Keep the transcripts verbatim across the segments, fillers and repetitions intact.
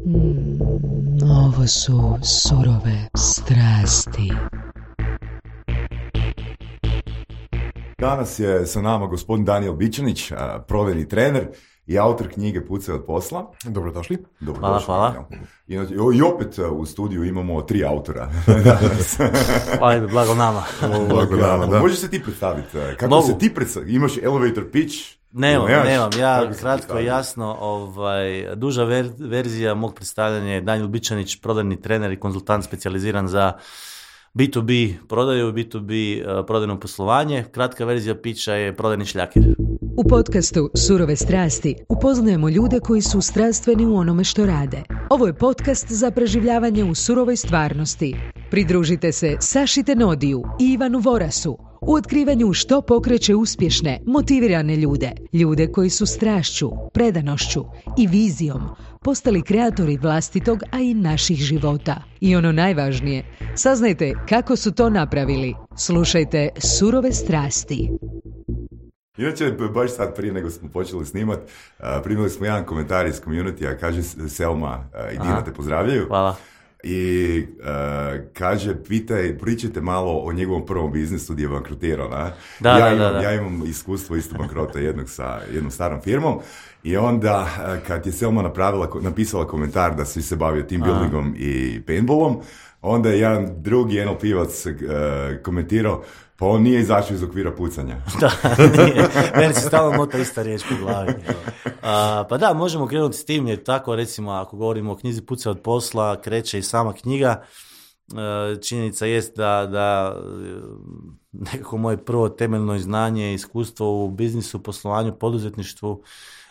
Mm, ovo su surove strasti. Danas je sa nama gospodin Danijel Bičanić, prodajni trener i autor knjige Pucaj od posla. Dobrodošli. Dobrodošli. Hvala, hvala. I, I opet u studiju imamo tri autora. Ajde, blago nama. Blago nama, da. Možeš se ti predstaviti? Kako Mogu. se ti predstaviti? Imaš elevator pitch? Nemam, Nemaš? nemam. Ja kratko i jasno, ovaj, duža ver, verzija mog predstavljanja je Danijel Bičanić, prodajni trener i konzultant specijaliziran za bi tu bi prodaju i bi tu bi uh, prodajno poslovanje. Kratka verzija pića je prodajni šljaker. U podcastu Surove strasti upoznajemo ljude koji su strastveni u onome što rade. Ovo je podcast za preživljavanje u surovoj stvarnosti. Pridružite se Saši Tenodiju i Ivanu Vorasu u otkrivanju što pokreće uspješne, motivirane ljude. Ljude koji su strašću, predanošću i vizijom postali kreatori vlastitog, a i naših života. I ono najvažnije, saznajte kako su to napravili. Slušajte Surove strasti. Inače, baš sad prije nego smo počeli snimat, uh, primili smo jedan komentar iz community-a, kaže Selma uh, i Dina te pozdravljaju. Hvala. I uh, kaže, pitaj, pričajte malo o njegovom prvom biznisu gdje je bankrotirao. Na? Da, ja, da, imam, da, da. ja imam iskustvo isto bankrota jednog sa jednom starom firmom i onda uh, kad je Selma napravila, napisala komentar da svi se bavio team buildingom i paintballom, onda je jedan drugi N L P-vac uh, komentirao, pa on nije izašao iz okvira pucanja. Da, nije. Meni se stalno mota ista riječ po glavi. A, pa da, možemo krenuti s tim, jer tako recimo ako govorimo o knjizi Pucaj od posla, kreće i sama knjiga. E, činjenica jest da, da nekako moje prvo temeljno znanje i iskustvo u biznisu, poslovanju, poduzetništvu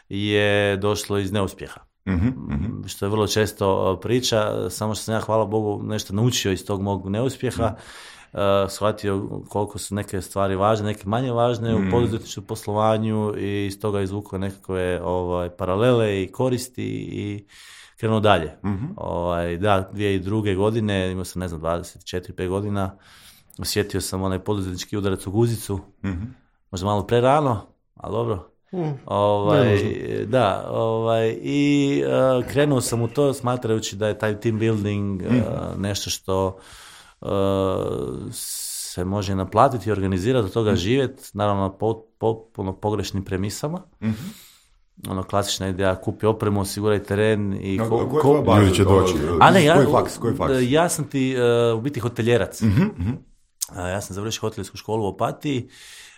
je došlo iz neuspjeha. Mm-hmm, mm-hmm. Što je vrlo često priča, samo što sam ja, hvala Bogu, nešto naučio iz tog mog neuspjeha. Mm. Uh, shvatio koliko su neke stvari važne, neke manje važne mm. u poduzetničkom poslovanju i iz toga izvukao nekakve ovaj, paralele i koristi i krenuo dalje. Mm-hmm. Ovaj, da, dvije tisuće druge. godine, imao sam ne znam dvadeset četiri pet godina, osjetio sam onaj poduzetnički udarac u guzicu, mm-hmm. možda malo prerano, ali dobro. Mm. Ovaj, da, ovaj, i uh, krenuo sam u to smatrajući da je taj team building uh, mm. nešto što Uh, se može naplatiti i organizirati, od toga mm. živjeti, naravno po, potpuno pogrešnim premisama. Mm-hmm. Ono, klasična ideja, kupi opremu, osiguraj teren i no, ko, ko, ko ljudi će doći. A ne, ja, koji faks, koji faks? ja sam ti uh, u biti hotelijerac. Mm-hmm. Uh, ja sam završio hotelijsku školu u Opatiji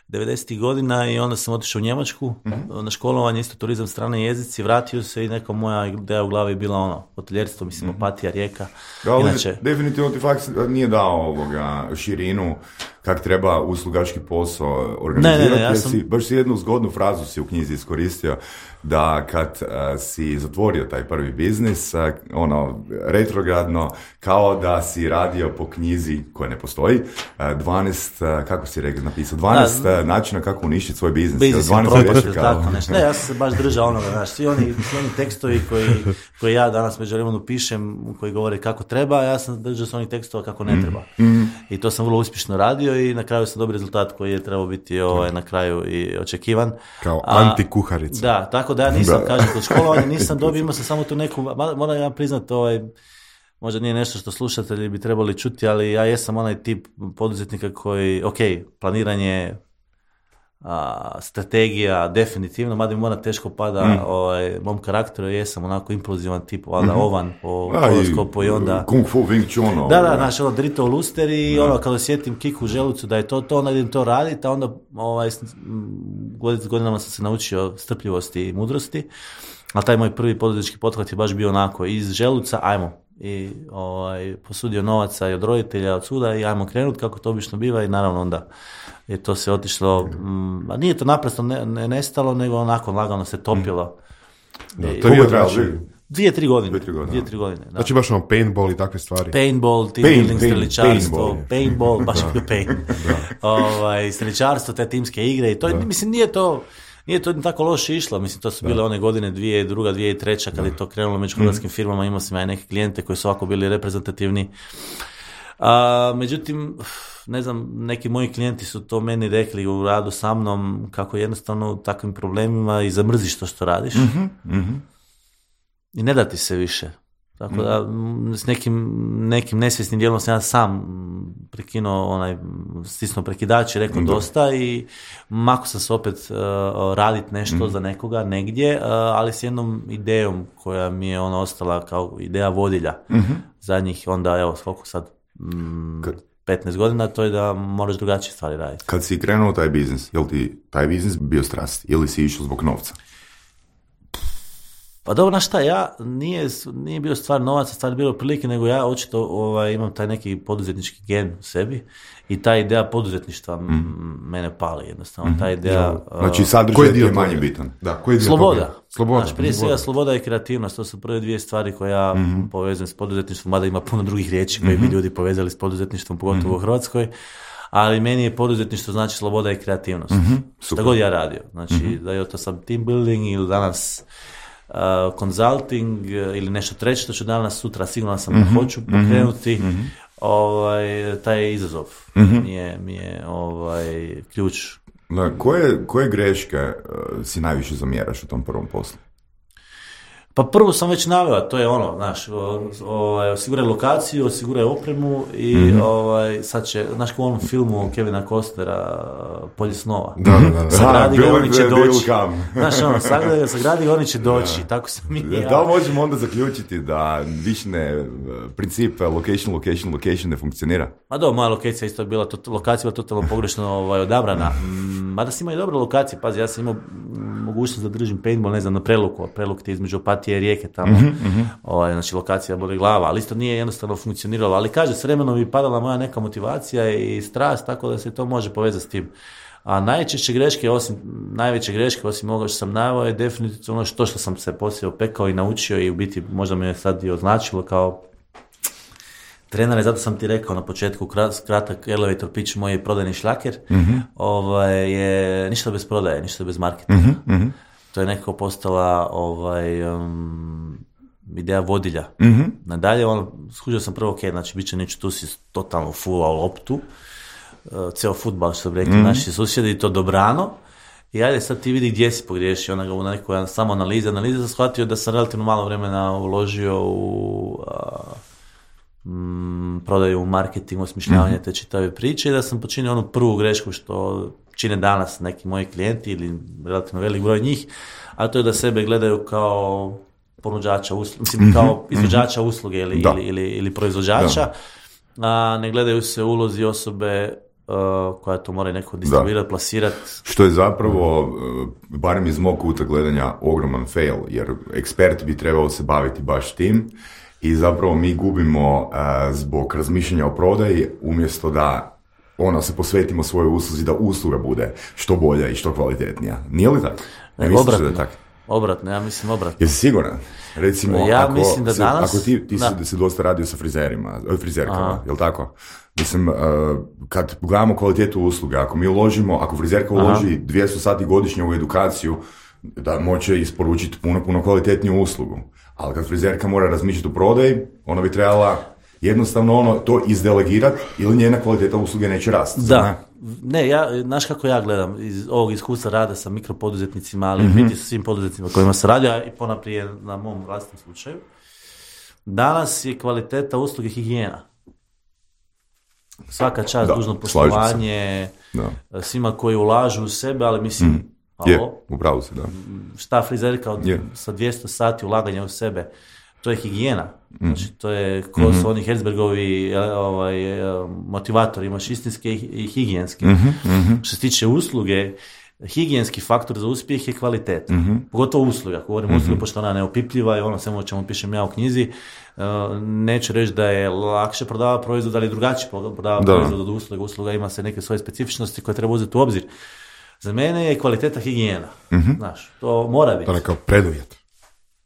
devedesetih godina i onda sam otišao u Njemačku mm-hmm. na školovanje, isto turizam, strane jezici, vratio se i neka moja ideja u glavi je bila ono, hoteljerstvo, mislim, mm-hmm. Opatija, Rijeka. Da, inače, definitivno ti faks nije dao ovoga širinu kak treba uslugački posao organizirati. Ne, ne, ne, ja sam... si, baš si jednu zgodnu frazu si u knjizi iskoristio da kad uh, si zatvorio taj prvi biznis, uh, ono, retrogradno, kao da si radio po knjizi koja ne postoji, uh, dvanaest, uh, kako si rekao, napisao, dvanaest da, uh, načina kako uništiti svoj biznis. Biznis je propast, tako nešto. Ne, ja sam se baš držao onoga, znaš, svi oni, svi oni tekstovi koji, koji ja danas među vremenu pišem, koji govore kako treba, ja sam držao se onih tekstova kako ne treba. Mm-hmm. I to sam vrlo uspješno radio i na kraju sam dobio rezultat koji je trebao biti ovaj, na kraju i očekivan. Kao antikuharica. Da, tako da ja nisam, da. kažem, kod školovanja nisam dobio, imao sam samo tu neku, moram ja priznati, ovaj, možda nije nešto što slušatelji bi trebali čuti, ali ja jesam onaj tip poduzetnika koji, ok, planiranje, a, strategija, definitivno, mada mi mora teško pada mm. ovaj, mom karakteru, jesam onako impulzivan tip, valjda mm-hmm. ovan po horoskopu i onda... Kung fu, Wing Chun. Da, da, znaš, ono, drito u luster i ono, kada osjetim kiku u želucu da je to to, onda idem to raditi, a onda ovaj, godinama sam se naučio strpljivosti i mudrosti, a taj moj prvi poduzetnički pothvat je baš bio onako, iz želuca, ajmo, i ovaj, posudio novaca i od roditelja, od suda i ajmo krenut kako to obično biva i naravno onda je to se otišlo, mm, a nije to naprosto ne, ne nestalo, nego onako lagano se topilo. Da, to je trajalo dvije, tri godine. Dvije, tri godine. Dvije, tri godine da. Znači baš ono paintball i takve stvari. Paintball, team pain, building, pain, streličarstvo, paintball, paintball baš je pain. ovaj, streličarstvo, te timske igre i to, da. mislim, nije to... Nije to tako loše išlo, mislim, to su bile da. one godine dvije druga, dvije treća kad da. je to krenulo među hrvatskim firmama, imao sam ja neke klijente koji su ovako bili reprezentativni. A, međutim, ne znam, neki moji klijenti su to meni rekli u radu sa mnom, kako jednostavno u takvim problemima i zamrziš to što radiš. Mm-hmm. Mm-hmm. I ne da ti se više. Tako da s nekim, nekim nesvjesnim dijelom sam ja sam prekinuo onaj, stisnuo prekidač i rekao mm. dosta i mako sam se opet uh, raditi nešto mm. za nekoga negdje, uh, ali s jednom idejom koja mi je ona ostala kao ideja vodilja mm-hmm. zadnjih onda, evo, koliko sad mm, petnaest godina, to je da moraš drugačije stvari raditi. Kad si krenuo taj biznis, je li ti taj biznis bio strast ili si išao zbog novca? Pa dobro, znaš šta, ja nije, nije bio stvar novaca, stvar bilo prilike, nego ja očito ovaj, imam taj neki poduzetnički gen u sebi i ta ideja poduzetništva mm. mene pali jednostavno. Mm-hmm. Ta ideja... Znači sadržaj je manje bitan. Da, koji je dio sloboda. Sloboda. Znaš, prije svega sloboda i kreativnost, to su prve dvije stvari koje ja mm-hmm. povezujem s poduzetništvom, mada ima puno drugih riječi koje mm-hmm. bi ljudi povezali s poduzetništvom, pogotovo mm-hmm. u Hrvatskoj. Ali meni je poduzetništvo znači sloboda i kreativnost. Mm-hmm. Šta god ja radio. Znači, mm-hmm. da je to sam team building ili danas uh, consulting uh, ili nešto treće što ću danas, sutra sigurno sam mm-hmm. da hoću pokrenuti, mm-hmm. ovaj, taj izazov mm-hmm. mi je, mi je ovaj, ključ. Na koje, koje greške uh, si najviše zamjeraš u tom prvom poslu? Pa prvo sam već naveo, to je ono, znaš, ovaj, osiguraj lokaciju, osiguraj opremu i mm-hmm. ovaj, sad će, znaš, u onom filmu Kevina Costnera Polje snova. Da, da, da. Sagradi ga, oni će doći. Znaš, ono, sagradi ga, sagradi ga, oni će doći. Da. Tako sam i ja. Da li možemo onda zaključiti da više ne, princip location, location, location ne funkcionira? Ma do, moja lokacija isto je bila, to, lokacija bila totalno pogrešno ovaj, odabrana. Mada si imao i dobre lokacije, pazi, ja sam imao mogućnost da držim paintball, ne znam, na Preluku, Preluk ti između Opatije i Rijeke tamo, mm-hmm. ovaj, znači lokacija boli glava, ali isto nije jednostavno funkcioniralo, ali kaže, s vremenom bi padala moja neka motivacija i strast, tako da se to može povezati s tim. A najčešće greške, osim, najveće greške, osim ovoga što sam naveo, je definitivno ono što, što sam se poslije opekao i naučio i u biti možda me je sad i označilo kao trenere, zato sam ti rekao na početku, kratak elevator pitch, moj prodajni šlaker, mm-hmm. ovaj, je ništa bez prodaje, ništa bez marketinga. Mm-hmm. To je nekako postala ovaj, um, ideja vodilja. Mm-hmm. Nadalje, ono, skužio sam prvo, ok, znači, bit će neću, tu si totalno fulao loptu, uh, ceo fudbal, što bi rekli mm-hmm. naši susjedi, i to dobrano, i ajde sad ti vidi gdje si pogriješio, ona ga u nekoj samo analize, analize sam shvatio da sam relativno malo vremena uložio u uh, mm, prodaju, u marketing, osmišljavanje mm-hmm. te čitave priče i da sam počinio onu prvu grešku što čine danas neki moji klijenti ili relativno velik broj njih, a to je da sebe gledaju kao ponuđača usluge, mislim mm-hmm. kao izvođača usluge ili, ili, ili, ili proizvođača, da. A ne gledaju se ulozi osobe uh, koja to mora neko distribuirati, plasirati. Što je zapravo, uh, barem iz mog kuta gledanja, ogroman fail, jer ekspert bi trebao se baviti baš tim i zapravo mi gubimo uh, zbog razmišljanja o prodaji umjesto da ono, se posvetimo svojoj usluzi da usluga bude što bolja i što kvalitetnija. Nije li tako? Ne, ne obratno, da tak? obratno, ja mislim obratno. Jesi siguran? Recimo, ja ako, mislim da se, danas... ako ti, ti da. si, si dosta radio sa frizerima, frizerkama, je li tako? Mislim, uh, kad gledamo kvalitetu usluga, ako mi uložimo, ako frizerka uloži Aha. dvjesto sati godišnje u edukaciju, da moće isporučiti puno, puno kvalitetniju uslugu. Ali kad frizerka mora razmišljati o prodaji, ona bi trebala jednostavno ono to izdelegirati ili njena kvaliteta usluge neće rasti. Da, ne, ne ja, znaš kako ja gledam iz ovog iskustva rada sa mikropoduzetnicima, ali mm-hmm. biti sa svim poduzetnicima kojima se radi, a i ponaprije na mom vlastitom slučaju. Danas je kvaliteta usluge higijena. Svaka čast, da, dužno poslovanje, svima koji ulažu u sebe, ali mislim, mm. je, upravo se, da. Šta frizerka od, yeah. sa dvjesto sati ulaganja u sebe, to je higijena. Znači, to je ko mm-hmm. su oni Herzbergovi ovaj, motivatori, imaš istinske i higijenske. Mm-hmm. Što se tiče usluge, higijenski faktor za uspjeh je kvalitet. Mm-hmm. Pogotovo usluga. Ako govorim mm-hmm. usluga, pošto ona neopipljiva i ono svemu o čemu pišem ja u knjizi, uh, neću reći da je lakše prodava proizvod, ali drugačije prodava da. proizvod od usluga. Usluga ima se neke svoje specifičnosti koje treba uzeti u obzir. Za mene je kvaliteta higijena. Mm-hmm. Znaš, to mora biti. To je kao preduvjet.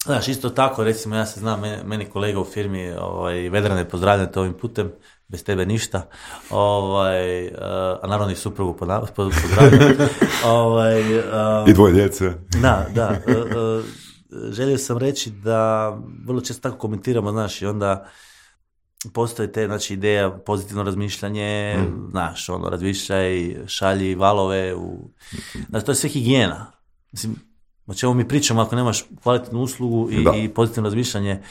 Znaš, isto tako, recimo, ja se znam, meni kolega u firmi, ovaj, Vedrane, pozdravljate ovim putem, bez tebe ništa, ovaj, uh, a naravno i suprugu pozdravljam. ovaj, um, I dvoje djece. Da, da. Uh, uh, želio sam reći da vrlo često tako komentiramo, znaš, i onda postoje te, znači, ideja, pozitivno razmišljanje, mm. znaš, ono, razmišljaj, šalji valove, u... znači, to je sve higijena. Mislim, o čemu mi pričamo ako nemaš kvalitetnu uslugu i, i pozitivno razmišljanje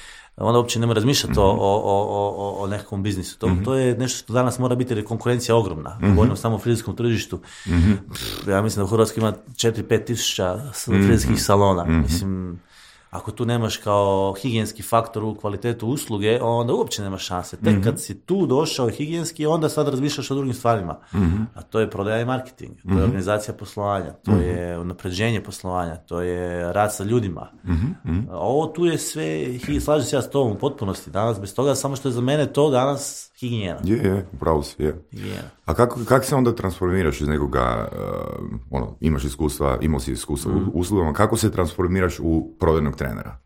onda uopće ne mora razmišljati mm-hmm. o, o, o, o nekakvom biznisu. To, mm-hmm. to je nešto što danas mora biti, jer je konkurencija ogromna. Mm-hmm. Govorimo samo o frizerskom tržištu. Mm-hmm. Pff, ja mislim da u Hrvatskoj ima četiri do pet tisuća frizerskih mm-hmm. salona. Mm-hmm. Mislim, ako tu nemaš kao higijenski faktor u kvalitetu usluge, onda uopće nemaš šanse. Tek mm-hmm. kad si tu došao higijenski, onda sad razmišljaš o drugim stvarima. Mm-hmm. A to je prodaja i marketing, to mm-hmm. je organizacija poslovanja, to mm-hmm. je unapređenje poslovanja, to je rad sa ljudima. Mm-hmm. A ovo tu je sve, slažem se ja s tobom u potpunosti danas, bez toga, samo što je za mene to danas higijena. Je, je, upravo si, je. Higijena. A kako, kako se onda transformiraš iz nekoga, uh, ono, imaš iskustva, imao si iskustva mm. u uslugama, kako se transformiraš u prodajnog trenera?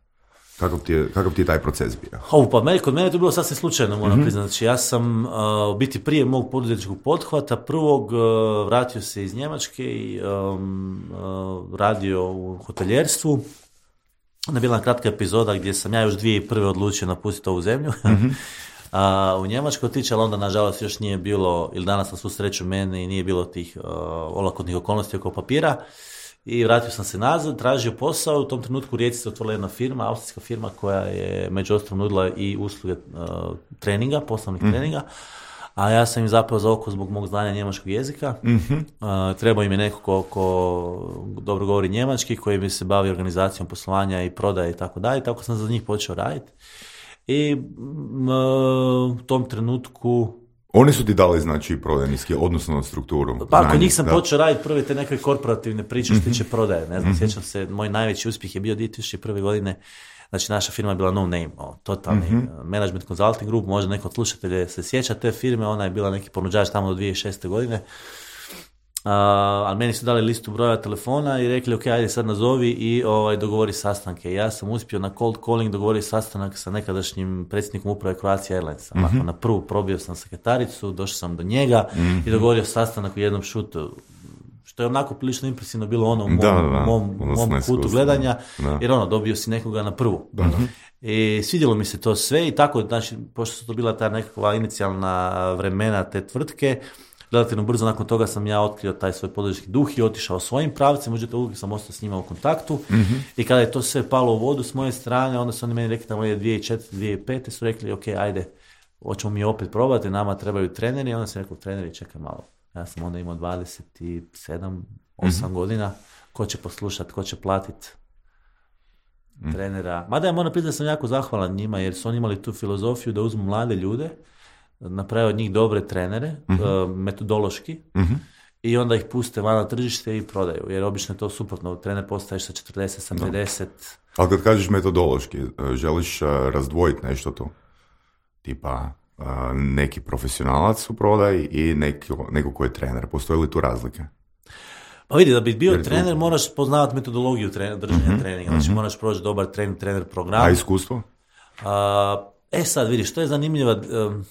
Kakav ti je, kakav ti je taj proces bio? Oh, pa meni, kod mene je to bilo sasvim slučajno, moram mm-hmm. priznati. Znači, ja sam uh, u biti prije mog poduzetničkog pothvata prvog uh, vratio se iz Njemačke i um, uh, radio u hoteljerstvu. Onda je bila kratka epizoda gdje sam ja još dvije i prve odlučio napustiti ovu zemlju. Mm-hmm. A, u Njemačkoj otići, ali onda nažalost još nije bilo, ili danas na svu sreću meni nije bilo tih uh, olakotnih okolnosti oko papira i vratio sam se nazad, tražio posao. U tom trenutku u Rijeci se otvorila jedna firma, austrijska firma koja je među ostalom nudila i usluge uh, treninga, poslovnih mm. treninga, a ja sam im zapeo za oko zbog mog znanja njemačkog jezika. Mm-hmm. Uh, trebao im je neko ko, ko dobro govori njemački, koji bi se bavio organizacijom poslovanja i prodaje i tako dalje, tako sam za njih počeo raditi. I m, u tom trenutku... Oni su ti dali, znači, prodajni skill, odnosno na strukturu. Pa ako njih sam da. počeo raditi prve te neke korporativne priče što tiče prodaje. Ne znam, mm-hmm. sjećam se, moj najveći uspjeh je bio dvije tisuće prve godine. Znači, naša firma je bila No Name, o, totalni mm-hmm. management consulting group. Možda neko od slušatelja se sjeća te firme, ona je bila neki ponuđač tamo do dvije tisuće šeste godine. Uh, ali meni su dali listu broja telefona i rekli, ok, ajde sad nazovi i ovaj, dogovori sastanke. Ja sam uspio na cold calling dogovoriti sastanak sa nekadašnjim predsjednikom uprave Croatia Airlinesa. Mm-hmm. Ako na prvu probio sam sekretaricu, došao sam do njega mm-hmm. i dogovorio sastanak u jednom šutu. Što je onako prilično impresivno bilo ono u mom, da, da, mom, mom kutu gledanja, da. Jer ono, dobio si nekoga na prvu. Da, da. I svidjelo mi se to sve i tako, znači, pošto su to bila ta nekakva inicijalna vremena te tvrtke, relativno brzo nakon toga sam ja otkrio taj svoj poduzetnički duh i otišao svojim pravcem, međutim uvijek sam ostao s njima u kontaktu mm-hmm. i kada je to sve palo u vodu s moje strane, onda su oni meni rekli tamo je dvije tisuće četvrte. dvije tisuće pete su rekli, ok, ajde, hoćemo mi opet probati, nama trebaju treneri, i onda sam rekao, treneri, čekaj malo. Ja sam onda imao dvadeset sedam, osam mm-hmm. godina, ko će poslušati, ko će platiti mm. trenera. Mada ja moram priznati da sam jako zahvalan njima, jer su oni imali tu filozofiju da uzmu mlade ljude, naprave od njih dobre trenere, mm-hmm. uh, metodološki, mm-hmm. i onda ih puste van na tržište i prodaju, jer obično je to suprotno, trener postaješ sa četrdeset, sa pedeset. Ali kad kažeš metodološki, želiš uh, razdvojiti nešto tu? Tipa uh, neki profesionalac u prodaji i neko, neko ko je trener. Postoje li tu razlike? Pa vidi, da bi bio jer trener, tu... moraš poznavati metodologiju trener, držanja mm-hmm. treninga, znači mm-hmm. moraš proći dobar trener, trener program. A iskustvo? Uh, e sad, vidiš, to je zanimljiva... Um,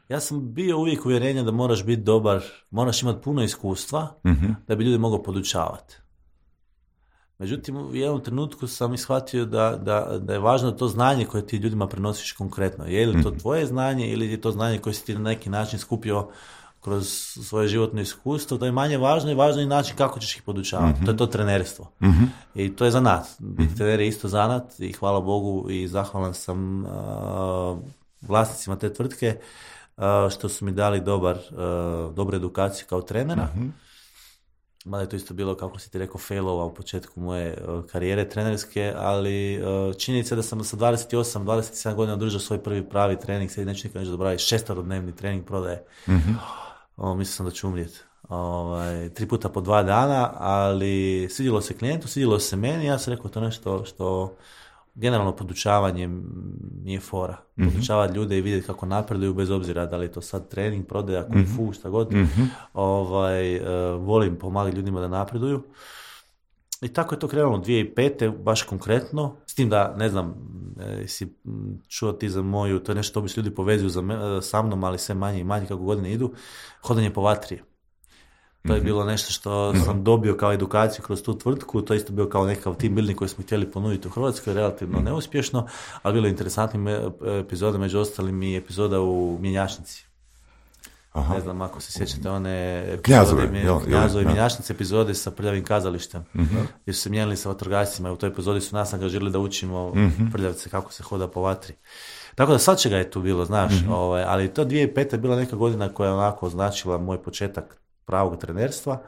Ja sam bio uvijek uvjerenja da moraš biti dobar, moraš imati puno iskustva mm-hmm. da bi ljudi mogao podučavati. Međutim, u jednom trenutku sam ishvatio da, da, da je važno to znanje koje ti ljudima prenosiš konkretno. Je li to tvoje znanje ili je to znanje koje si ti na neki način skupio kroz svoje životno iskustvo, to je manje važno i važno je način kako ćeš ih podučavati. Mm-hmm. To je to trenerstvo. Mm-hmm. I to je zanat. Mm-hmm. Trener je isto zanat i hvala Bogu i zahvalan sam uh, vlasnicima te tvrtke Uh, što su mi dali dobar, uh, dobru edukaciju kao trenera. Mm-hmm. Mada je to isto bilo, kako si ti rekao, failova u početku moje uh, karijere trenerske, ali uh, činjenica je da sam sa dvadeset osam dvadeset sedam godina održao svoj prvi pravi trening, sad neću nikad neću zaboraviti, šesterodnevni trening prodaje. Mm-hmm. Uh, mislio sam da ću umrijeti. Uh, tri puta po dva dana, ali svidjelo se klijentu, svidjelo se meni, ja sam rekao to nešto što generalno podučavanje mi je fora. Mm-hmm. Podučavati ljude i vidjeti kako napreduju bez obzira da li je to sad trening, prodaja, kung fu, mm-hmm. šta god. Mm-hmm. Ovaj, uh, volim pomagati ljudima da napreduju. I tako je to krenulo dvije tisuće pete baš konkretno. S tim da, ne znam, e, si čuo ti za moju, to je nešto obično ljudi povezuju za me, sa mnom, ali sve manje i manje kako godine idu, hodanje po vatri. To je bilo nešto što sam dobio kao edukaciju kroz tu tvrtku, to je isto bio kao nekakav team building koji smo htjeli ponuditi u Hrvatskoj, relativno neuspješno, ali bilo interesantnim epizoda, među ostalim i epizoda u mjenjačnici. Aha. Ne znam ako se sjećate one Knjazove, Knjazovi mjenjačnice epizode sa Prljavim kazalištem, uh-huh. gdje su se mijenjali sa vatrogascima i u toj epizodi su nas angažirali da učimo uh-huh. Prljavce kako se hoda po vatri. Tako da sad čega je tu bilo, znaš, uh-huh. ovaj, ali to dvije tisuće peta je bila neka godina koja je onako značila moj početak pravog trenerstva.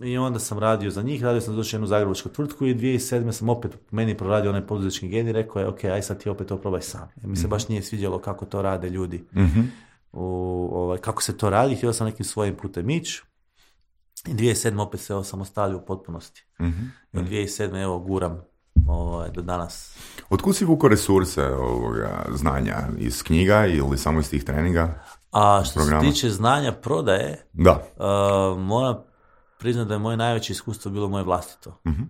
I onda sam radio za njih, radio sam došao jednu zagrebačku tvrtku i dvije tisuće sedme sam opet meni proradio onaj poduzetnički gen i rekao je, ok, aj sad ti opet to probaj sam. Jer mi se baš nije sviđalo kako to rade ljudi. Mm-hmm. U, ovaj, kako se to radi, htio sam nekim svojim putem ići. I dvije tisuće sedme opet se osamostalio u potpunosti. Mm-hmm. I od dvije tisuće sedme evo guram ovaj, do danas. Otkud si vukao resurse ovoga znanja? Iz knjiga ili samo iz tih treninga? A što programa? Se tiče znanja prodaje, da. Uh, moram priznam da je moje najveće iskustvo bilo moje vlastito. Uh-huh.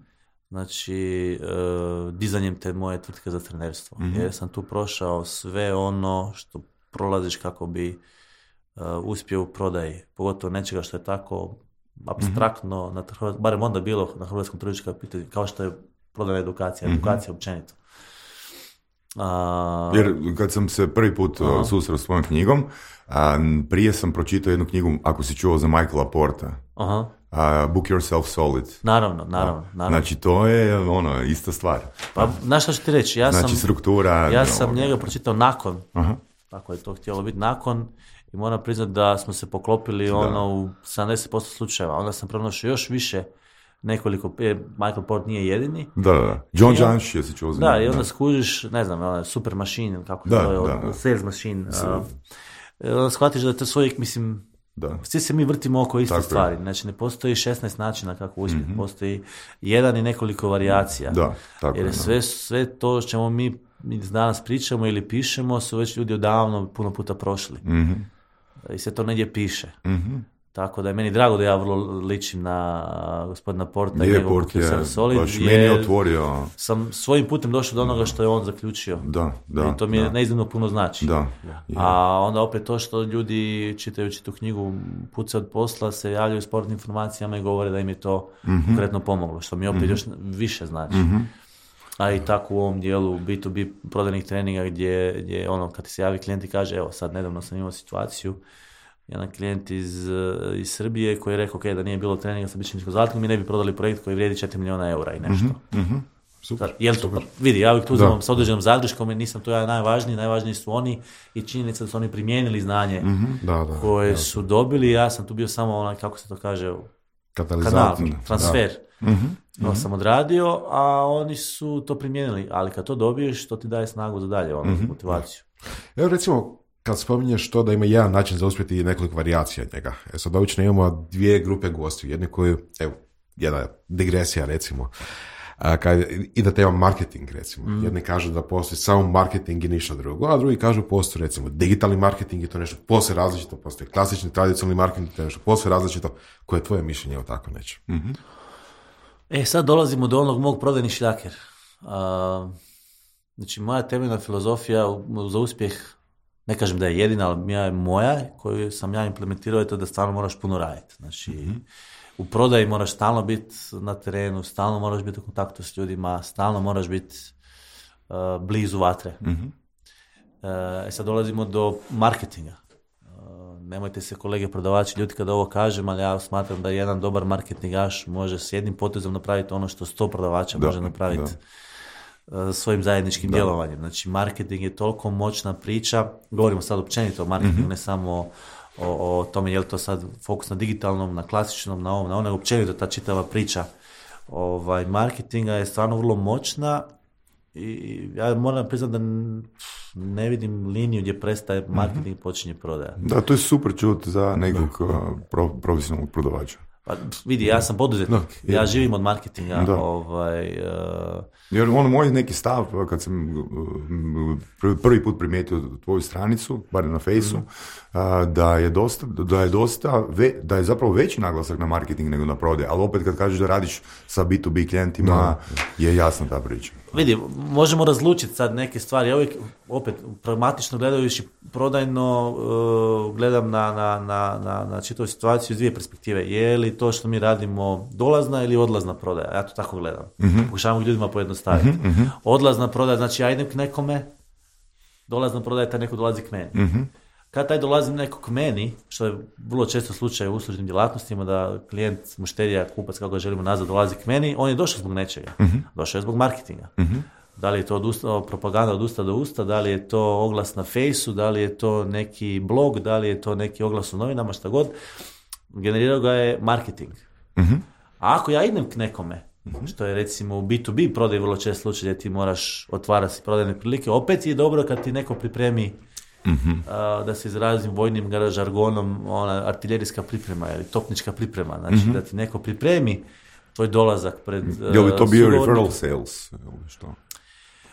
Znači, uh, dizanjem te moje tvrtke za trenerstvo. Uh-huh. Jer sam tu prošao sve ono što prolaziš kako bi uh, uspio u prodaji. Pogotovo nečega što je tako apstraktno, uh-huh. na, barem onda bilo na hrvatskom tržištu kao što je prodajna edukacija, uh-huh. edukacija općenito. Uh, Jer kad sam se prvi put uh-huh. susreo s tvojom knjigom, a, prije sam pročitao jednu knjigu, ako si čuo za Michaela Porta. Uh-huh. Uh, book yourself solid. Naravno, naravno, naravno. Znači, to je ono, ista stvar. Pa, znaš što ću ti reći? Ja znači, sam, struktura... Ja sam ovoga. njega pročitao nakon. Uh-huh. Tako je to htjelo biti nakon. I moram priznati da smo se poklopili da. ono u sedamdeset posto slučajeva. Onda sam pronašao još više nekoliko... Michael Port nije jedini. Da, da. John Janš je si čuo za Da, i onda da. skužiš, ne znam, ono, super machine, kako da, to je, da, da. sales machine. Uh, onda shvatiš da je to svojeg, mislim... Da. Svi se mi vrtimo oko iste Tako stvari, je. Znači ne postoji šesnaest načina kako uspjeti, mm-hmm. postoji jedan i nekoliko varijacija, da, tako jer je, sve, sve to što ćemo mi danas pričamo ili pišemo su već ljudi odavno puno puta prošli mm-hmm. i sve to negdje piše. Mm-hmm. Tako da je meni drago da ja vrlo ličim na gospodina Porta je, i njegov Port je, Solid, baš meni otvorio. Sam svojim putem došao do onoga što je on zaključio. Da, da, i to mi je da. neiznimno puno znači. Da, a onda opet to što ljudi čitajući tu knjigu puce od posla se javljaju s sportnim informacijama i govore da im je to mm-hmm. konkretno pomoglo, što mi opet mm-hmm. još više znači. Mm-hmm. A i tako u ovom dijelu bi to bi prodajnih treninga gdje, gdje ono kad se javi klijent i kaže evo sad nedavno sam imao situaciju, jedan klijent iz, iz Srbije koji je rekao okay, da nije bilo treninga sa bičničkom zlatkom mi ne bi prodali projekt koji vrijedi četiri milijuna eura i nešto. Mm-hmm, mm-hmm. Super, Sad, jel to, super. Vidi, ja uvijek tu uzimam sa određenom zadrškom i nisam to ja najvažniji, najvažniji su oni i činjenica da su oni primijenili znanje mm-hmm. da, da, koje da, su dobili, ja sam tu bio samo onaj, kako se to kaže, kanal, transfer. Mm-hmm. To mm-hmm. sam odradio, a oni su to primijenili, ali kad to dobiješ, to ti daje snagu za dalje, ono, mm-hmm. motivaciju. Evo recimo, kad spominješ to da ima jedan način za uspjeti i nekoliko varijacija njega. E sad obično imamo dvije grupe gostiju. Jedni koji, evo, jedna digresija recimo, a, kad idete imam marketing recimo. Mm. Jedni kažu da postoji samo marketing i ništa drugo, a drugi kažu postoji recimo digitalni marketing i to nešto posve različito, postoji klasični tradicionalni marketing i to nešto posve različito. Koje je tvoje mišljenje o tako neće? Mm-hmm. E sad dolazimo do onog mog prodajni šljaker. A, znači moja temeljna filozofija za uspjeh, ne kažem da je jedina, ali ja je moja, koju sam ja implementirao, je to da stvarno moraš puno raditi. Znači, mm-hmm. u prodaji moraš stalno biti na terenu, stalno moraš biti u kontaktu s ljudima, stalno moraš biti uh, blizu vatre. Mm-hmm. Uh, sad dolazimo do marketinga. Uh, nemojte se kolege prodavači ljudi kada ovo kažem, ali ja smatram da jedan dobar marketingaš može s jednim potezom napraviti ono što sto prodavača da, može napraviti. Da. Svojim zajedničkim da. djelovanjem. Znači, marketing je toliko moćna priča, govorimo sad općenito o marketingu, mm-hmm. ne samo o, o, o tome je li to sad fokus na digitalnom, na klasičnom, na ovom, na onom, općenito ta čitava priča ovaj, marketinga je stvarno vrlo moćna i ja moram priznati da ne vidim liniju gdje prestaje marketing i mm-hmm. počinje prodaja. Da, to je super čut za nekog pro, profesionalnog prodavača. Pa vidi, ja sam poduzetnik, da, ja živim od marketinga. Ovaj, uh... Jer ono moj neki stav, kad sam prvi put primijetio tvoju stranicu, bar na Fejsu, mm. da je dosta, da je dosta, ve, da je zapravo veći naglasak na marketing nego na prodaj, ali opet kad kažeš da radiš sa bi to bi klijentima, no. je jasna ta priča. Vidi, možemo razlučiti sad neke stvari, ja uvijek, opet, pragmatično gledajući prodajno, uh, gledam na, na, na, na, na čitavu situaciju iz dvije perspektive. Je li to što mi radimo dolazna ili odlazna prodaja? Ja to tako gledam. Mm-hmm. Pokušavam ljudima pojednostaviti. Mm-hmm. Odlazna prodaja, znači ja idem k nekome, dolazna prodaja, taj neko dolazi k meni. Mm-hmm. kad taj dolazi neko k meni, što je vrlo često slučaj u uslužnim djelatnostima, da klijent, mušterija, kupac, kako ga želimo nazvat, dolazi k meni, on je došao zbog nečega. Uh-huh. Došao je zbog marketinga. Uh-huh. Da li je to od usta, propaganda od usta do usta, da li je to oglas na fejsu, da li je to neki blog, da li je to neki oglas u novinama, šta god. Generirao ga je marketing. Uh-huh. A ako ja idem k nekome, uh-huh. što je recimo u bi tu bi prodaj vrlo čest slučaj gdje ti moraš otvarati prodajne prilike, opet je dobro kad ti neko pripremi uh-huh. uh, da se izrazim vojnim žargonom, ona artiljerijska priprema ili topnička priprema, znači uh-huh. da ti neko pripremi tvoj dolazak pred uh, je li to bio referral sales ili što?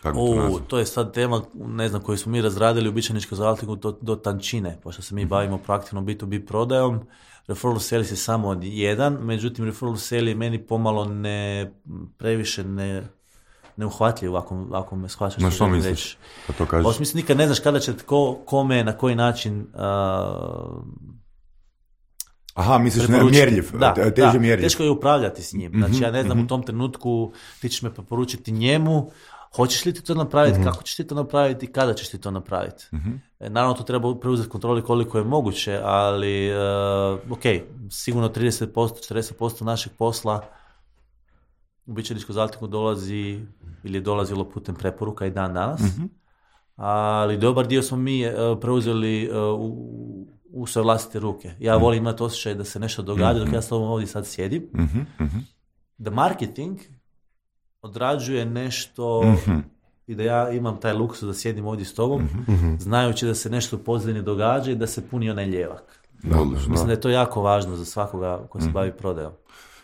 O, to je sad tema, ne znam, koju smo mi razradili u Bičaničkom zaltiku do, do tančine, pošto se mi uh-huh. bavimo proaktivno bi tu bi prodajom. Referral sales je samo od jedan, međutim referral sales je meni pomalo ne, previše ne, neuhvatljiv, ako, ako me shvaćaš. Na što misliš? Pa to kažeš. U smislu, nikad ne znaš kada će ko, kome, na koji način uh, Aha, misliš ne mjerljiv, da, teže da, mjerljiv. Teško je upravljati s njim. Znači, ja ne znam, mm-hmm. u tom trenutku ti ćeš me preporučiti njemu, hoćeš li ti to napraviti, mm-hmm. kako ćeš ti to napraviti, kada ćeš ti to napraviti. Mm-hmm. Naravno, to treba preuzeti kontroli koliko je moguće, ali uh, ok, sigurno trideset posto, četrdeset posto našeg posla u Bičaničku zaltiku dolazi ili je dolazilo putem preporuka i dan danas, mm-hmm. ali dobar dio smo mi uh, preuzeli uh, u, u svoje vlastite ruke. Ja mm-hmm. volim imati osjećaj da se nešto događa mm-hmm. dok ja s tobom ovdje sad sjedim. Mm-hmm. Da marketing odrađuje nešto mm-hmm. i da ja imam taj luksuz da sjedim ovdje s tobom, mm-hmm. znajući da se nešto u pozadini događa i da se puni onaj ljevak. Da, Mislim da. da je to jako važno za svakoga ko se mm-hmm. bavi prodajom.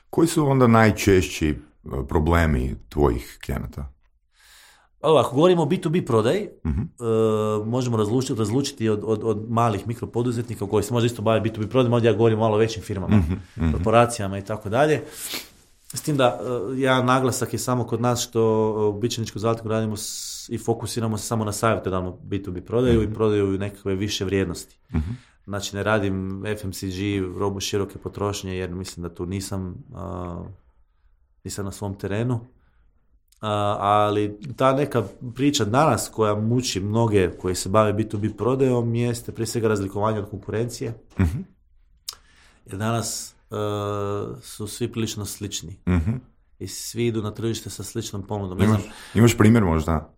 Koji su onda najčešći problemi tvojih klijenata? Ako govorimo o bi tu bi prodaji, mm-hmm. uh, možemo razlučiti, razlučiti od, od, od malih mikropoduzetnika koji se možda isto bave bi tu bi prodajom, ovdje ja govorim o malo većim firmama, mm-hmm. korporacijama i tako dalje. S tim da uh, jedan naglasak je samo kod nas što u Bičaničku zaltiku radimo s, i fokusiramo se samo na savjetodavnu bi tu bi prodaju mm-hmm. i prodaju nekakve više vrijednosti. Mm-hmm. Znači ne radim ef em ce ge, robu široke potrošnje, jer mislim da tu nisam, uh, nisam na svom terenu. Uh, ali ta neka priča danas koja muči mnoge koji se bave bi tu bi prodajom jeste prije svega razlikovanje od konkurencije. Mm-hmm. Jer danas uh, su svi prilično slični. Mm-hmm. I svi idu na tržište sa sličnom ponudom. Imaš, imaš primjer možda?